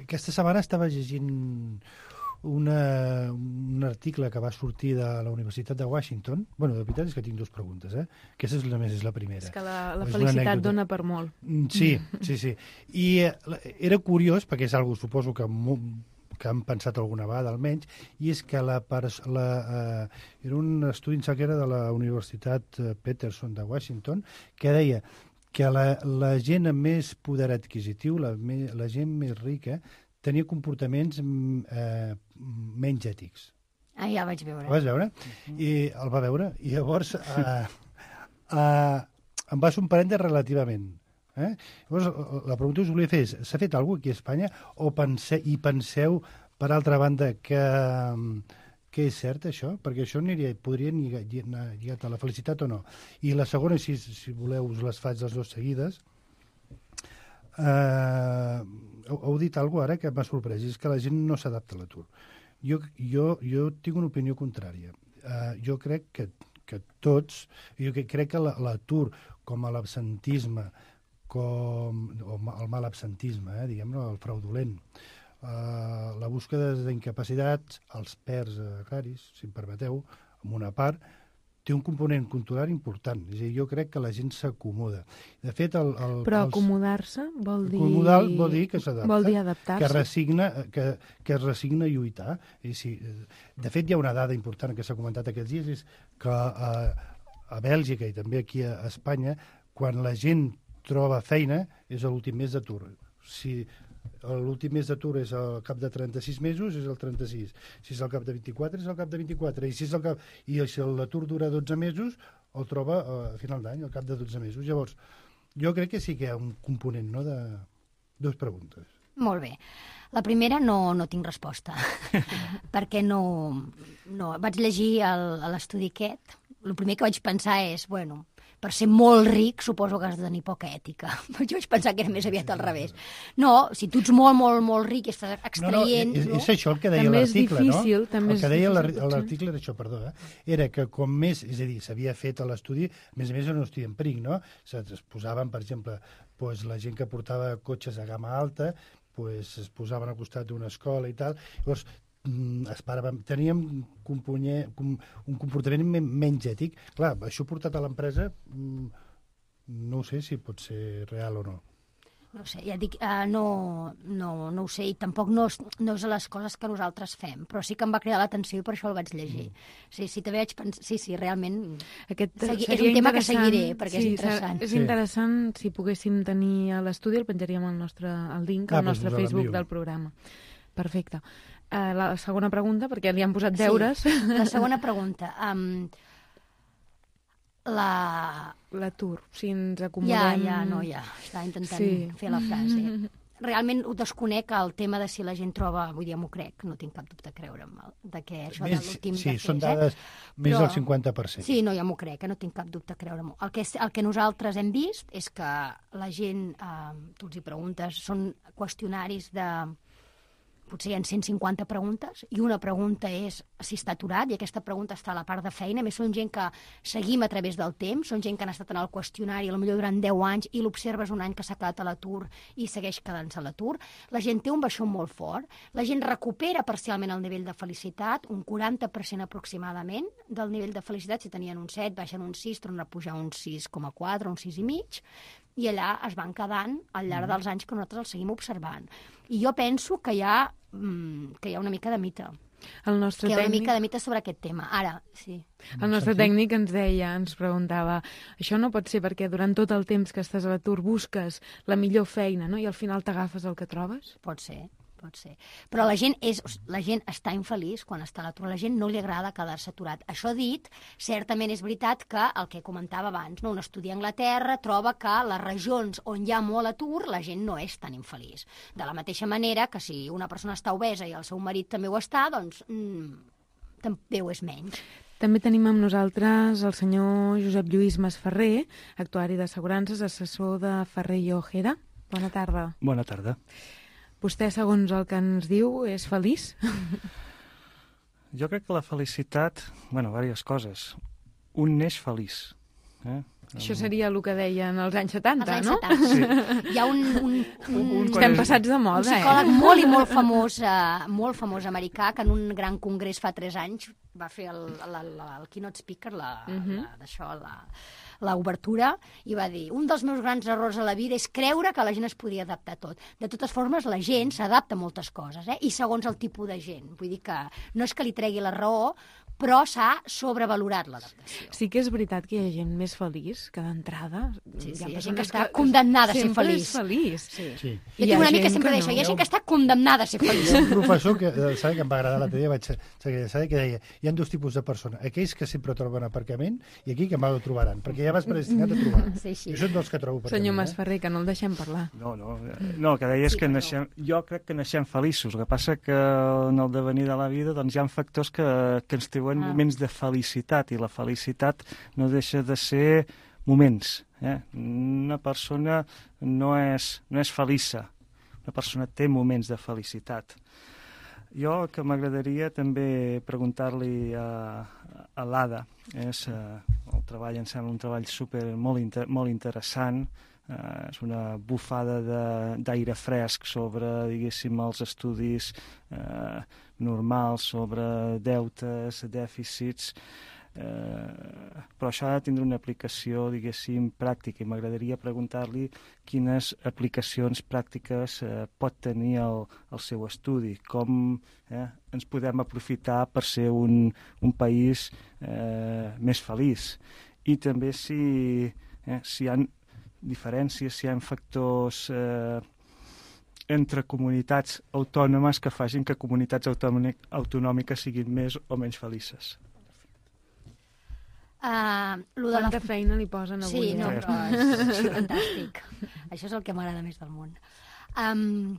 aquesta setmana estava llegint Una, un article que va sortir de la Universitat de Washington. Bueno, de veritat és que tinc dues preguntes, eh? Aquesta és la més, és la primera. És que la, la felicitat dona per molt. Sí, sí, sí. I eh, era curiós, perquè és algo, suposo que, que han pensat alguna vegada almenys, i és que la, la, eh, era un estudi que era de la Universitat Peterson de Washington, que deia que la, la gent amb més poder adquisitiu, la, la gent més rica, tenia comportaments eh, menys ètics. Ah, ja vaig veure. El vas veure? I el va veure. I llavors eh, eh, em va sorprendre relativament. Eh? Llavors, la pregunta que us volia fer és, s'ha fet alguna cosa aquí a Espanya o pense, i penseu, per altra banda, que, que és cert això? Perquè això aniria, podria anar lligat a la felicitat o no. I la segona, si, si voleu, us les faig les dues seguides. Uh, heu, heu dit alguna cosa ara que m'ha sorprès, és que la gent no s'adapta a l'atur. Jo, jo, jo tinc una opinió contrària. Uh, jo crec que, que tots, jo crec que l'atur com a l'absentisme, com o el mal absentisme, eh, diguem-ne, el fraudulent, uh, la búsqueda d'incapacitats, els perds agraris, si em permeteu, en una part, té un component cultural important. És a dir, jo crec que la gent s'acomoda. De fet, el, el, Però els... acomodar-se vol dir... Acomodar vol dir que s'adapta. Vol dir adaptar-se. Que, resigna, que, que es resigna a lluitar. I si, de fet, hi ha una dada important que s'ha comentat aquests dies, és que a, a Bèlgica i també aquí a Espanya, quan la gent troba feina, és l'últim mes d'atur. Si l'últim mes d'atur és al cap de trenta-sis mesos, és el trenta-sis. Si és al cap de vint-i-quatre, és al cap de vint-i-quatre. I si, és al cap... I si l'atur dura dotze mesos, el troba a final d'any, al cap de dotze mesos. Llavors, jo crec que sí que hi ha un component, no?, de dues preguntes. Molt bé. La primera no, no tinc resposta, perquè no, no... Vaig llegir l'estudi aquest. El primer que vaig pensar és, bueno, per ser molt ric suposo que has de tenir poca ètica. Jo vaig pensar que era més aviat al revés. No, si tu ets molt, molt, molt ric i estàs extraient... No, no, és, no? és això el que deia l'article, no? També el que deia l'article era això, perdó, eh? Era que com més, és a dir, s'havia fet a l'estudi, a més a més era un estudi empíric, no? Es posaven, per exemple, pues, la gent que portava cotxes a gamma alta, pues, es posaven al costat d'una escola i tal. Llavors, esperàvem, teníem un comportament menys ètic. Clar, això portat a l'empresa, no sé si pot ser real o no. No sé, ja dic, uh, no, no, no ho sé, i tampoc no, és- no és a les coses que nosaltres fem, però sí que em va cridar l'atenció i per això el vaig llegir. Sí, sí, també vaig pensar... Sí, sí, realment... Aquest Segui- és seria un tema que interessant. seguiré, perquè és Sí, interessant. És Sí. interessant, si poguéssim tenir a l'estudi, el penjaríem al nostre el link Ah, al doncs nostre us Facebook l'envio. del programa. Perfecte. Uh, la segona pregunta, perquè li han posat Sí. deures. La segona pregunta. Um, la... L'atur, si ens Ja, acomodem... ja, no, ja. Estava intentant Sí. fer la frase. Realment ho desconec el tema de si la gent troba... Vull dir, m'ho crec, no tinc cap dubte a creure'm, de que això de Més, l'últim sí, de són fes, dades més Però- del cinquanta per cent. Sí, no, ja m'ho crec, que no tinc cap dubte a creure-m'ho. El, que és, el que nosaltres hem vist és que la gent, eh, tu els hi preguntes, són qüestionaris de... Potser hi ha cent cinquanta preguntes, i una pregunta és si està aturat, i aquesta pregunta està a la part de feina. A més, són gent que seguim a través del temps, són gent que han estat en el qüestionari potser durant deu anys i l'observes un any que s'ha quedat a l'atur i segueix quedant-se a l'atur. La gent té un baixó molt fort, la gent recupera parcialment el nivell de felicitat, un quaranta per cent aproximadament del nivell de felicitat. Si tenien un set, baixen un sis, tornen a pujar un sis coma quatre, un sis i mig, i allà es van quedant al llarg dels anys que nosaltres els seguim observant. I jo penso que hi ha, mm, que hi ha una mica de mite, El nostre que hi ha una tècnic... mica de mite sobre aquest tema. Ara, sí. El nostre tècnic ens deia, ens preguntava, això no pot ser perquè durant tot el temps que estàs a l'atur busques la millor feina, no? I al final t'agafes el que trobes? Pot ser, pot ser. Però la gent, és, la gent està infeliç quan està a l'atur. A la gent no li agrada quedar-se aturat. Això dit, certament és veritat que el que comentava abans, no? Un estudi a Anglaterra troba que a les regions on hi ha molt atur la gent no és tan infeliç. De la mateixa manera que si una persona està obesa i el seu marit també ho està, doncs mm, també ho és menys. També tenim amb nosaltres el senyor Josep Lluís Masferrer, actuari d'assegurances, assessor de Ferrer i Ojeda. Bona tarda. Bona tarda. Vostè, segons el que ens diu, és feliç? Jo crec que la felicitat... bueno, diverses coses. Un neix feliç. Eh? Això seria el que deien als anys setanta, Als anys no? setanta. Sí. Hi ha un, un, un, Un- Estem quan- passats de un moda, psicòleg eh? molt i molt famós, eh, molt famós americà, que en un gran congrés fa tres anys va fer el, la, la, el keynote speaker, la, Mhm. la, d'això, la, l'obertura, i va dir, un dels meus grans errors a la vida és creure que la gent es podia adaptar a tot. De totes formes, la gent s'adapta a moltes coses, eh? I segons el tipus de gent. Vull dir que no és que li tregui la raó, però s'ha sobrevalorat l'adaptació. Sí que és veritat que hi ha gent més feliç que d'entrada. Sí, sí, ha hi ha gent que persones està condemnada a ser sempre feliç. és feliç. Sí. Sí. Jo Hi tinc ha una amica gent sempre que d'això, no. hi ha gent que està condemnada a ser feliç. Hi ha un professor que, eh, sabe, que em va agradar l'altre dia, vaig saber, saber que deia hi ha dos tipus de persones, aquells que sempre troben aparcament i aquí que mai ho trobaran, perquè ja vas predestinat a trobar. Sí, sí. Jo soc dels que trobo aparcament. Senyor eh? Masferrer, que no el deixem parlar. No, no, eh, no, el que deia és Sí, que però- naixem, jo crec que naixem feliços. El que passa que en el devenir de la vida doncs, hi ha factors que, que ens treuen Ah. moments de felicitat, i la felicitat no deixa de ser moments. Eh? Una persona no és, no és feliça, una persona té moments de felicitat. Jo el que m'agradaria també preguntar-li a, a l'Ada és eh, el treball, em sembla un treball super, molt, inter, molt interessant, eh, és una bufada de- d'aire fresc sobre, diguéssim, els estudis eh, normals, sobre deutes, dèficits, eh, però això ha de tindre una aplicació, diguéssim, pràctica, i m'agradaria preguntar-li quines aplicacions pràctiques eh, pot tenir el, el seu estudi, com eh, ens podem aprofitar per ser un, un país eh, més feliç, i també si, eh, si hi ha diferències, si hi ha factors eh, entre comunitats autònomes que facin que comunitats autònomic, autonòmiques siguin més o menys felices. Uh, lo de la... Quanta feina li posen avui, Sí, no, eh? però és, és fantàstic. Això és el que m'agrada més del món. Um,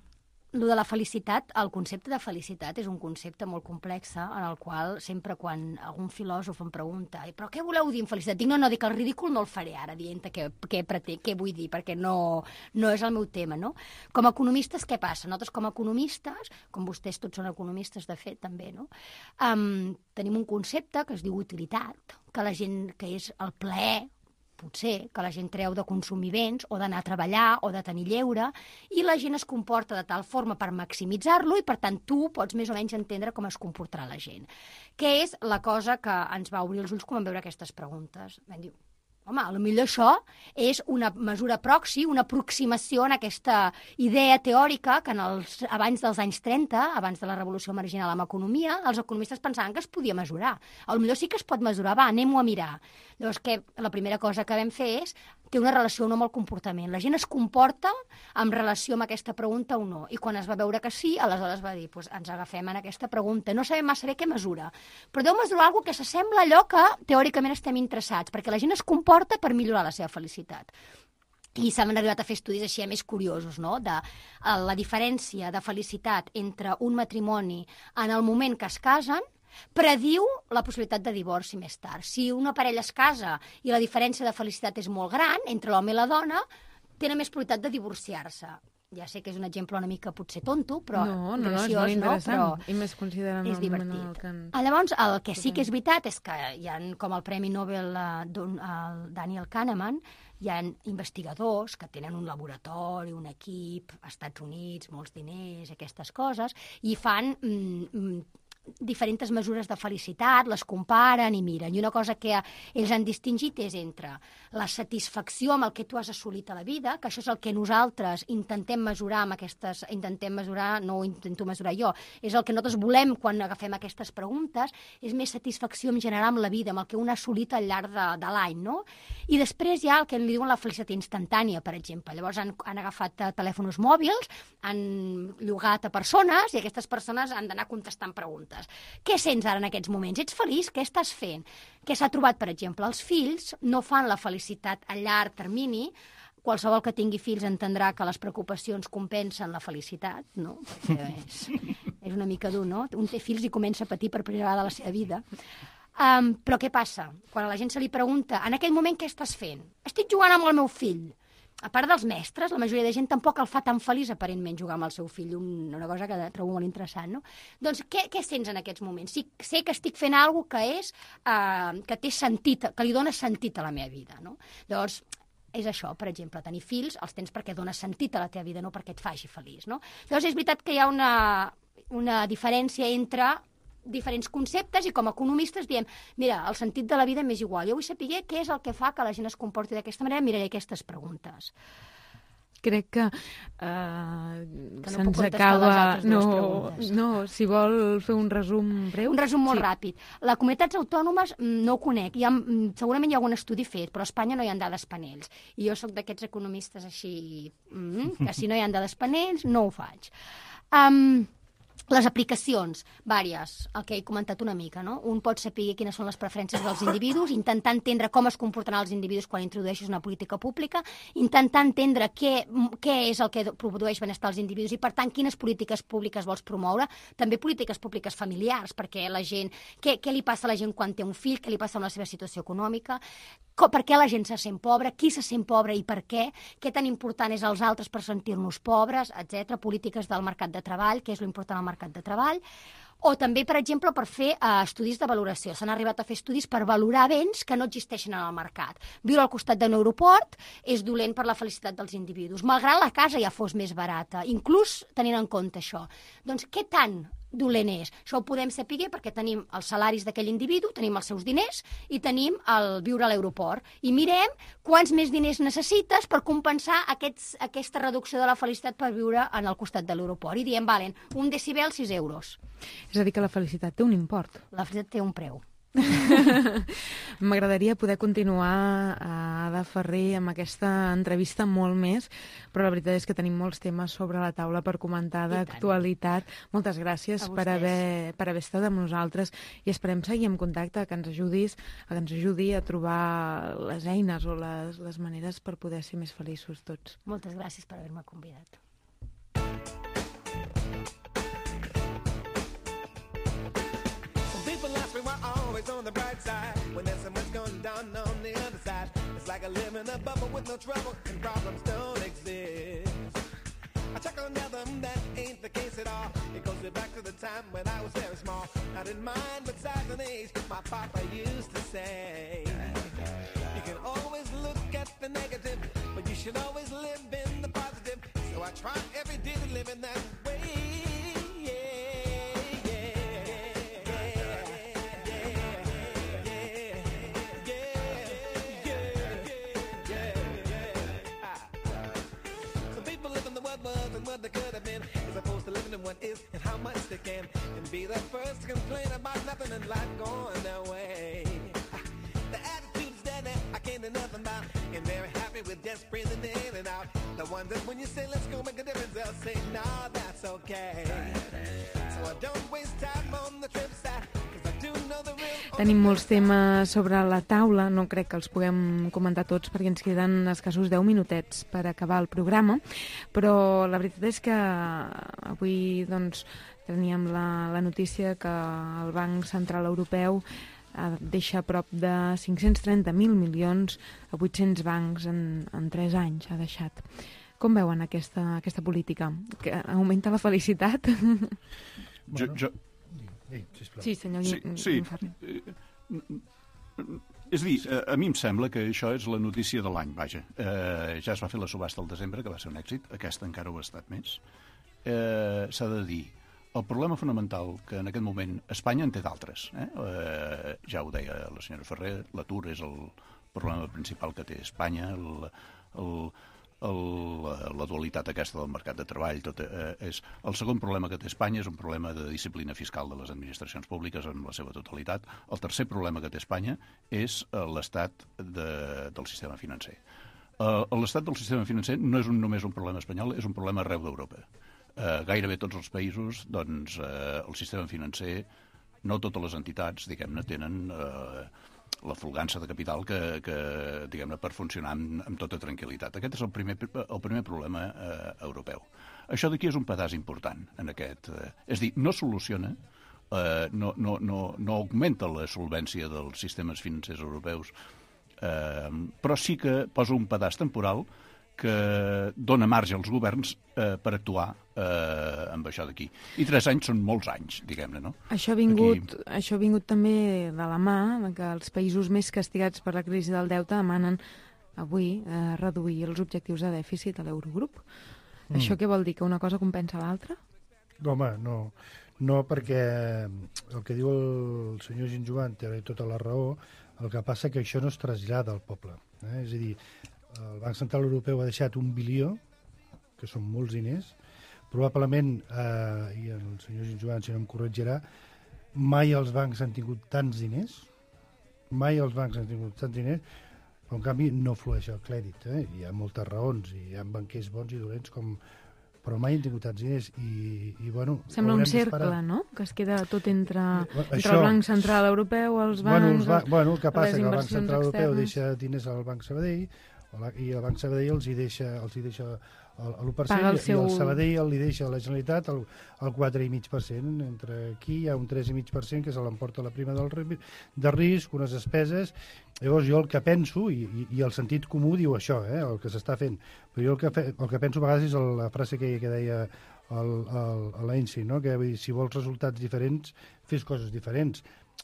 lo de la felicitat, el concepte de felicitat és un concepte molt complex, en el qual sempre quan algun filòsof em pregunta però què voleu dir amb felicitat? Dic, no, no, dic, el ridícul no el faré ara, dient què, què, pretén, què vull dir, perquè no, no és el meu tema, no? Com a economistes, què passa? Nosaltres com a economistes, com vostès tots són economistes, de fet, també, no? Um, tenim un concepte que es diu utilitat, que la gent, que és el plaer, potser, que la gent treu de consumir béns o d'anar a treballar o de tenir lleure, i la gent es comporta de tal forma per maximitzar-lo i, per tant, tu pots més o menys entendre com es comportarà la gent. Què és la cosa que ens va obrir els ulls quan vam veure aquestes preguntes? Vam dir, home, potser això és una mesura proxy, una aproximació en aquesta idea teòrica que en els, abans dels anys trenta, abans de la revolució marginal amb economia, els economistes pensaven que es podia mesurar. Potser sí que es pot mesurar, va, anem-ho a mirar. Llavors, que la primera cosa que vam fer és té una relació o no amb el comportament. La gent es comporta en relació amb aquesta pregunta o no. I quan es va veure que sí, aleshores va dir, pues, ens agafem en aquesta pregunta. No sabem massa bé què mesura, però deu mesurar alguna cosa que s'assembla a allò que teòricament estem interessats, perquè la gent es comporta per millorar la seva felicitat. I s'han arribat a fer estudis així més curiosos, no? De uh, la diferència de felicitat entre un matrimoni en el moment que es casen prediu la possibilitat de divorci més tard. Si una parella es casa i la diferència de felicitat és molt gran entre l'home i la dona, tenen més probabilitat de divorciar-se. Ja sé que és un exemple una mica potser tonto, però no, no, graciós, no, és molt interessant. No? I més considerant és el moment en el que... En... Llavors, el que sí que és veritat és que hi ha, com el Premi Nobel uh, d'un, uh, Daniel Kahneman, hi ha investigadors que tenen un laboratori, un equip, als Estats Units, molts diners, aquestes coses, i fan mm, mm, diferents mesures de felicitat, les comparen i miren. I una cosa que ells han distingit és entre la satisfacció amb el que tu has assolit a la vida, que això és el que nosaltres intentem mesurar amb aquestes... Intentem mesurar, no ho intento mesurar jo, és el que nosaltres volem quan agafem aquestes preguntes, és més satisfacció en general amb la vida, amb el que un ha assolit al llarg de, de l'any, no? I després hi ha el que en diuen la felicitat instantània, per exemple. Llavors han, han agafat telèfons mòbils, han llogat a persones i aquestes persones han d'anar contestant preguntes. Què sents ara en aquests moments? Ets feliç? Què estàs fent? Què s'ha trobat, per exemple? Els fills no fan la felicitat a llarg termini. Qualsevol que tingui fills entendrà que les preocupacions compensen la felicitat, no? Perquè és, és una mica dur, no? Un té fills i comença a patir per primera vegada a la seva vida. Um, però què passa? Quan a la gent se li pregunta en aquell moment què estàs fent? Estic jugant amb el meu fill. A part dels mestres, la majoria de gent tampoc el fa tan feliç aparentment jugar amb el seu fill, una cosa que trobo molt interessant, no? Doncs què, què sents en aquests moments? Sí, sé que estic fent alguna cosa que és, eh, que té sentit, que li dona sentit a la meva vida, no? Llavors, és això, per exemple, tenir fills els tens perquè dona sentit a la teva vida, no perquè et faci feliç, no? Llavors és veritat que hi ha una, una diferència entre diferents conceptes i com a economistes diem, mira, el sentit de la vida m'és igual. Jo vull saber què és el que fa que la gent es comporti d'aquesta manera, miraré aquestes preguntes. Crec que, uh, que no se'ns acaba... No, no, no, si vol fer un resum breu... Un resum molt sí. ràpid. Les comunitats autònomes no ho conec. Hi ha, segurament hi ha algun estudi fet, però a Espanya no hi ha dades panells. I jo sóc d'aquests economistes així, mm, que si no hi ha dades panells, no ho faig. Um, Les aplicacions, vàries, el que he comentat una mica, no? Un pot saber quines són les preferències dels individus, intentar entendre com es comportaran els individus quan introdueixes una política pública, intentar entendre què, què és el que produeix benestar als individus i, per tant, quines polítiques públiques vols promoure, també polítiques públiques familiars, perquè la gent... Què, què li passa a la gent quan té un fill, què li passa amb la seva situació econòmica, per què la gent se sent pobra, qui se sent pobre i per què, què tan important és als altres per sentir-nos pobres, etcètera. Polítiques del mercat de treball, què és l'important al mercat de treball, o també, per exemple, per fer uh, estudis de valoració. S'han arribat a fer estudis per valorar béns que no existeixen en el mercat. Viure al costat d'un aeroport és dolent per la felicitat dels individus, malgrat la casa ja fos més barata, inclús tenint en compte això. Doncs què tant dolent és? Això ho podem saber perquè tenim els salaris d'aquell individu, tenim els seus diners i tenim el viure a l'aeroport. I mirem quants més diners necessites per compensar aquests, aquesta reducció de la felicitat per viure en el costat de l'aeroport. I diem, valen, un decibel, sis euros. És a dir, que la felicitat té un import. La felicitat té un preu. M'agradaria poder continuar a Ada Ferrer amb aquesta entrevista molt més, però la veritat és que tenim molts temes sobre la taula per comentar d'actualitat. Moltes gràcies per haver, per haver estat amb nosaltres i esperem seguir en contacte, que ens ajudis, que ens ajudi a trobar les eines o les, les maneres per poder ser més feliços tots. Moltes gràcies per haver-me convidat. Always on the bright side when there's so much going down on the other side. It's like I live in a bubble with no trouble and problems don't exist. I check on them, that ain't the case at all. It goes me back to the time when I was very small. I didn't mind but size and age, my papa used to say. You can always look at the negative, but you should always live in the positive. So I try every day to live in that way. what was and what they could have been, as opposed to living in what is and how much they can, and be the first to complain about nothing in life going their way. The attitude's dead and I can't do nothing about, and very happy with just breathing in and out. The ones that when you say let's go make a difference, they'll say no, that's okay. So I don't waste time on the trips that, cause I do know the real. Tenim molts temes sobre la taula, no crec que els puguem comentar tots perquè ens queden escassos deu minutets per acabar el programa, però la veritat és que avui doncs, teníem la, la notícia que el Banc Central Europeu deixa prop de cinc-cents trenta mil milions a vuit-cents bancs en, en tres anys, ha deixat. Com veuen aquesta, aquesta política? Que augmenta la felicitat? Jo, jo... Sí, senyor sí, sí. És a dir, a mi em sembla que això és la notícia de l'any, vaja. Eh, ja es va fer la subhasta al desembre, que va ser un èxit, aquesta encara ho ha estat més. Eh, S'ha de dir, el problema fonamental que en aquest moment Espanya en té d'altres. Eh? Eh, ja ho deia la senyora Ferrer, l'atur és el problema principal que té Espanya, el, el, el, la dualitat aquesta del mercat de treball. Tot, eh, és, el segon problema que té Espanya és un problema de disciplina fiscal de les administracions públiques en la seva totalitat. El tercer problema que té Espanya és eh, l'estat de, del sistema financer. Eh, l'estat del sistema financer no és un, només un problema espanyol, és un problema arreu d'Europa. Uh, gairebé tots els països, doncs, uh, el sistema financer, no totes les entitats, diguem-ne, tenen uh, la folgança de capital que, que diguem-ne, per funcionar amb, amb tota tranquil·litat. Aquest és el primer, el primer problema uh, europeu. Això d'aquí és un pedaç important en aquest... Uh, és a dir, no soluciona, uh, no, no, no, no augmenta la solvència dels sistemes financers europeus, uh, però sí que posa un pedaç temporal que dona marge als governs eh, per actuar eh, amb això d'aquí. I tres anys són molts anys, diguem-ne, no? Això ha vingut, Aquí... això ha vingut també de la mà que els països més castigats per la crisi del deute demanen avui eh, reduir els objectius de dèficit a l'Eurogrup. Mm. Això què vol dir? Que una cosa compensa l'altra? No, home, no. No, perquè el que diu el senyor Ginjoan té tota la raó, el que passa que això no es trasllada al poble. Eh? És a dir, el Banc Central Europeu ha deixat un bilió, que són molts diners, probablement, eh, i el senyor Ginjoan, si no em corregirà, mai els bancs han tingut tants diners, mai els bancs han tingut tants diners, però en canvi no flueix el crèdit. Eh? Hi ha moltes raons, i hi ha banquers bons i dolents, com... però mai han tingut tants diners. I, i, bueno, sembla un cercle, no?, que es queda tot entre, entre això... el Banc Central Europeu, els bancs... Bueno, els ba... bueno el que passa que el Banc Central externes. Europeu deixa diners al Banc Sabadell, i el Banc Sabadell els hi deixa, els hi deixa el, l'u per cent, el seu... i el Sabadell li deixa a la Generalitat el, el quatre coma cinc per cent. Entre aquí hi ha un tres coma cinc per cent que se l'emporta la prima del, de risc, unes despeses. Llavors jo el que penso, i, i, i el sentit comú diu això, eh, el que s'està fent, però jo el que, fe, el que penso a vegades és la frase que, que deia l'Einstein, no? Que vull dir, si vols resultats diferents, fes coses diferents.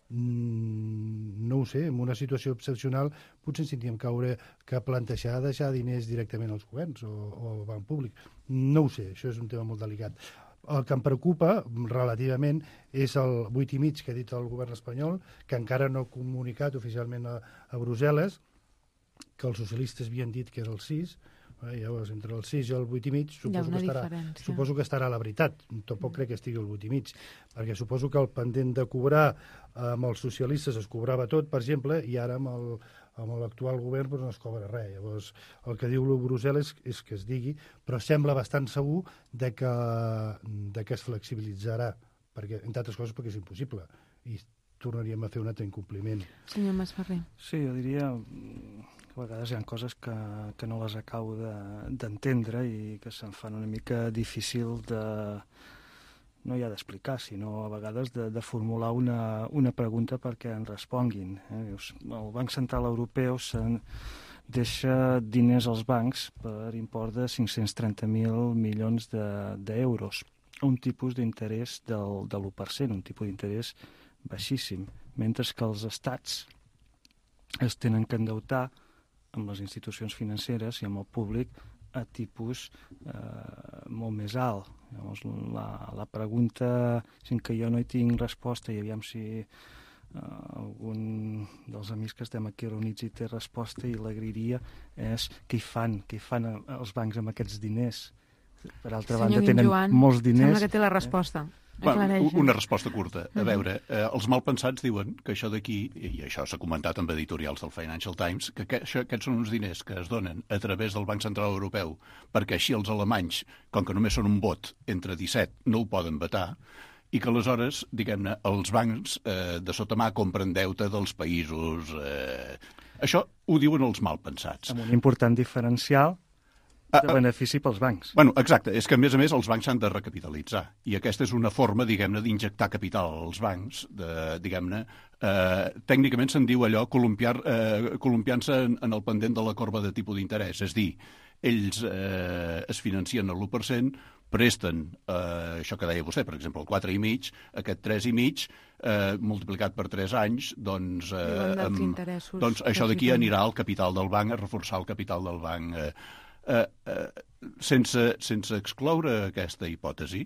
Mm, no ho sé, en una situació excepcional potser ens tindríem que haure que plantejar deixar diners directament als governs o, o al banc públic. No ho sé, això és un tema molt delicat. El que em preocupa relativament és el vuit i mig que ha dit el govern espanyol, que encara no ha comunicat oficialment a, a Brussel·les, que els socialistes havien dit que era el sis. Eh, llavors, entre el sis i el vuit i mig suposo que, estarà, suposo que estarà la veritat. Tampoc crec que estigui el vuit i mig, perquè suposo que el pendent de cobrar amb els socialistes es cobrava tot, per exemple, i ara amb el, amb l'actual govern doncs, no es cobra res. Llavors, el que diu Brussel·les és que es digui, però sembla bastant segur de que, de que es flexibilitzarà, perquè, entre altres coses perquè és impossible, i tornaríem a fer un altre incompliment. Senyor Masferrer. Sí, jo diria que a vegades hi ha coses que, que no les acabo d'entendre de, i que se'm fan una mica difícil de, no ja d'explicar, sinó a vegades de, de formular una, una pregunta perquè en responguin. Eh? El Banc Central Europeu se'n deixa diners als bancs per import de cinc-cents trenta mil milions d'euros, de, un tipus d'interès del, de l'u per cent, un tipus d'interès baixíssim, mentre que els estats es tenen que endeutar amb les institucions financeres i amb el públic a tipus eh, molt més alt. Llavors, la, la pregunta, sin que jo no hi tinc resposta, i aviam si eh, algun dels amics que estem aquí reunits hi té resposta i l'agrairia, és què hi fan, què hi fan els bancs amb aquests diners? per altra Senyor banda, tenen Guinjoan, molts diners... Sembla que té la resposta. Bueno, Aclareix. una resposta curta. A veure, eh, els malpensats diuen que això d'aquí, i això s'ha comentat amb editorials del Financial Times, que que això, aquests són uns diners que es donen a través del Banc Central Europeu perquè així els alemanys, com que només són un vot entre disset, no ho poden vetar, i que aleshores, diguem-ne, els bancs eh, de sota mà compren deute dels països... Eh... Això ho diuen els malpensats. Amb un important diferencial de benefici pels bancs. Bueno, exacte. És que, a més a més, els bancs s'han de recapitalitzar. I aquesta és una forma, diguem-ne, d'injectar capital als bancs, de, diguem-ne, eh, tècnicament se'n diu allò columpiar, eh, columpiant-se en, en el pendent de la corba de tipus d'interès. És dir, ells eh, es financien a l'u per cent, presten, eh, això que deia vostè, per exemple, el quatre i mig, aquest tres i mig, eh, multiplicat per tres anys, doncs, eh, amb, doncs això d'aquí anirà al capital del banc, a reforçar el capital del banc. Eh, eh, eh, sense, sense excloure aquesta hipòtesi,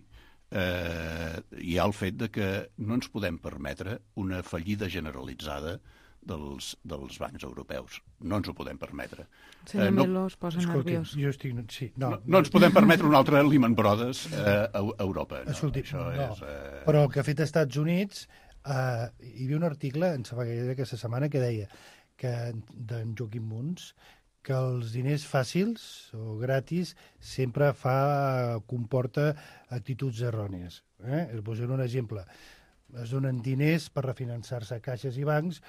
eh, hi ha el fet de que no ens podem permetre una fallida generalitzada dels, dels bancs europeus. No ens ho podem permetre. Senyor eh, no, Melo es posa escolti, nerviós. Jo estic... Sí, no, no, no ens podem permetre un altre Lehman Brothers eh, a Europa. No, escolti, això no, és, eh... però el que ha fet als Estats Units, eh, hi havia un article, em sembla que era aquesta setmana, que deia que d'en Joaquim Muns, que els diners fàcils o gratis sempre fa, comporta actituds errònies. Eh? Es posaré un exemple. Es donen diners per refinançar-se a caixes i bancs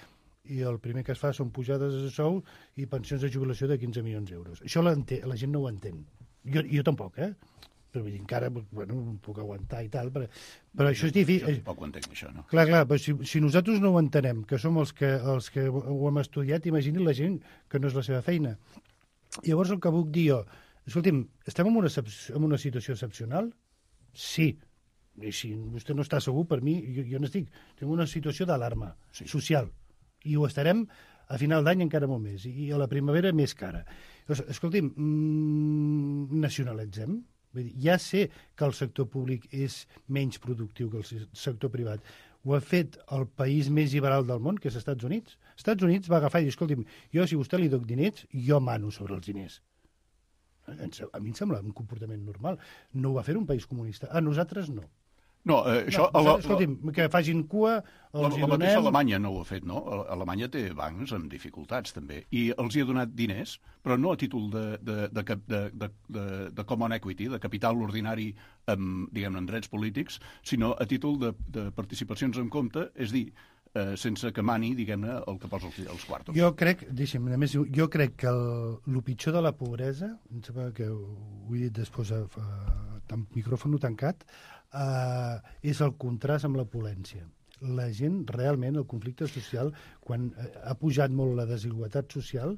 i el primer que es fa són pujades de sou i pensions de jubilació de quinze milions d'euros. Això la, la gent no ho entén. Jo, jo tampoc, eh? Però vull dir, encara bueno, puc aguantar i tal, però, però això és difícil. Jo tampoc ho entenc, això, no? Clar, clar, però si, si nosaltres no ho entenem, que som els que, els que ho hem estudiat, imagini la gent que no és la seva feina. Llavors el que puc dir jo, escolti'm, estem en una, en una situació excepcional? Sí. I si vostè no està segur, per mi, jo, jo n'estic. Tinc una situació d'alarma sí. social. I ho estarem a final d'any encara molt més. I a la primavera més cara. Llavors, escolti'm, mmm, nacionalitzem? Vull dir, ja sé que el sector públic és menys productiu que el sector privat. Ho ha fet el país més liberal del món, que és Estats Units. Estats Units va agafar i dir, escolti'm, jo si a vostè li doc diners, jo mano sobre els diners. A mi em sembla un comportament normal. No ho va fer un país comunista. A nosaltres no. No, eh, això... No, la, escolti'm, que facin cua, els la, hi la donem... mateixa Alemanya no ho ha fet, no? Alemanya té bancs amb dificultats, també, i els hi ha donat diners, però no a títol de, de, de, de, de, de, de common equity, de capital ordinari amb, diguem-ne, en drets polítics, sinó a títol de, de participacions en compte, és dir, eh, sense que mani, diguem-ne, el que posa els, els quartos. Jo crec, deixa'm, a més, jo crec que el, el pitjor de la pobresa, em sembla que ho he dit després amb micròfon tancat, Uh, és el contrast amb l'opulència. La gent, realment, el conflicte social, quan uh, ha pujat molt la desigualtat social,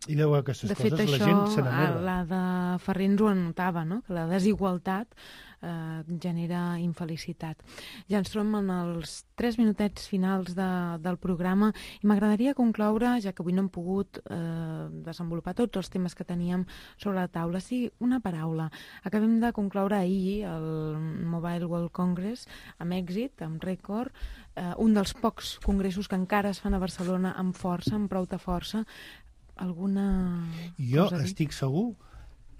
i veu aquestes de fet, coses, això, la gent se n'anerva. la de Ferrer ens ho anotava, no? Que la desigualtat eh, genera infelicitat. Ja ens trobem en els tres minutets finals de, del programa i m'agradaria concloure, ja que avui no hem pogut eh, desenvolupar tots els temes que teníem sobre la taula, sí, una paraula. Acabem de concloure ahir el Mobile World Congress amb èxit, amb rècord, eh, un dels pocs congressos que encara es fan a Barcelona amb força, amb prou de força. Alguna jo cosa estic segur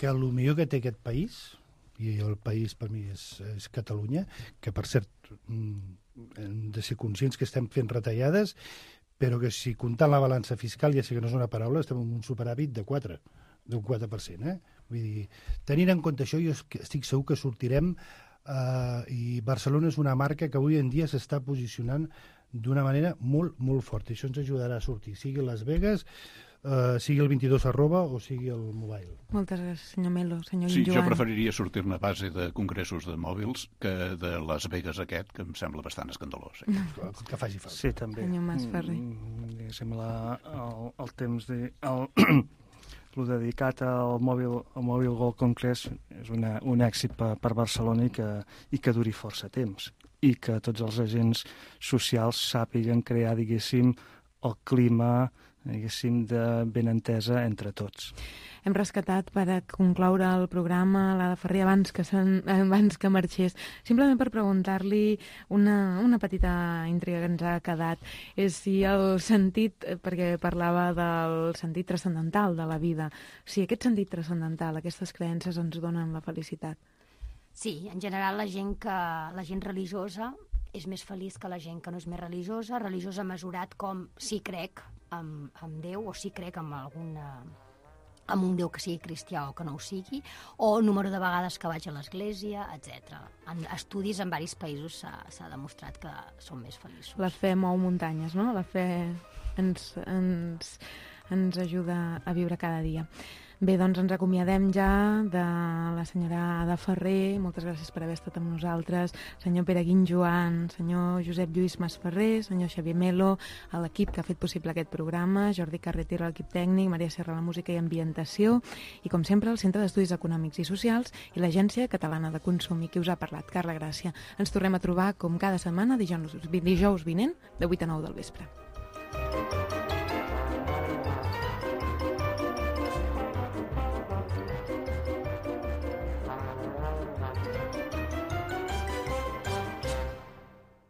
que el millor que té aquest país, i el país per mi és, és Catalunya, que per cert hem de ser conscients que estem fent retallades, però que si comptant la balança fiscal, ja sé que no és una paraula, estem en un superàvit de quatre, d'un quatre per cent. Eh? Vull dir, tenint en compte això, jo estic segur que sortirem eh, i Barcelona és una marca que avui en dia s'està posicionant d'una manera molt, molt forta. I això ens ajudarà a sortir, sigui Las Vegas, Uh, sigui el vint-i-dos arroba o sigui el mobile. Moltes gràcies, senyor Melo. Senyor sí, Guinjoan. Jo preferiria sortir-ne a base de congressos de mòbils que de Las Vegas aquest, que em sembla bastant escandalós. Eh? Que, que faci falta. Sí, també. Senyor Masferrer. Mm, sembla el, el temps de... El, el dedicat al Mobile, al Mobile World Congress és una, un èxit per, per Barcelona i que, i que duri força temps i que tots els agents socials sàpiguen crear, diguéssim, el clima diguéssim, de benentesa entre tots. Hem rescatat per a concloure el programa la de Ferrer abans que, abans que marxés. Simplement per preguntar-li una, una petita intriga que ens ha quedat. És si el sentit, perquè parlava del sentit transcendental de la vida, si aquest sentit transcendental, aquestes creences ens donen la felicitat. Sí, en general la gent que la gent religiosa és més feliç que la gent que no és més religiosa, religiosa mesurat com si crec en, en Déu o si crec en alguna amb un Déu que sigui cristià o que no ho sigui, o número de vegades que vaig a l'església, etcètera. En estudis en diversos països s'ha demostrat que són més feliços. La fe mou muntanyes, no? La fe ens, ens, ens ajuda a viure cada dia. Bé, doncs ens acomiadem ja de la senyora Ada Ferrer. Moltes gràcies per haver estat amb nosaltres. Senyor Pere Guinjoan, senyor Josep Lluís Masferrer, senyor Xavier Melo, a l'equip que ha fet possible aquest programa, Jordi Carretero, l'equip tècnic, Maria Serra, la música i ambientació, i com sempre el Centre d'Estudis Econòmics i Socials i l'Agència Catalana de Consum, i qui us ha parlat, Carla Gràcia. Ens tornem a trobar com cada setmana dijous, dijous vinent de vuit a nou del vespre.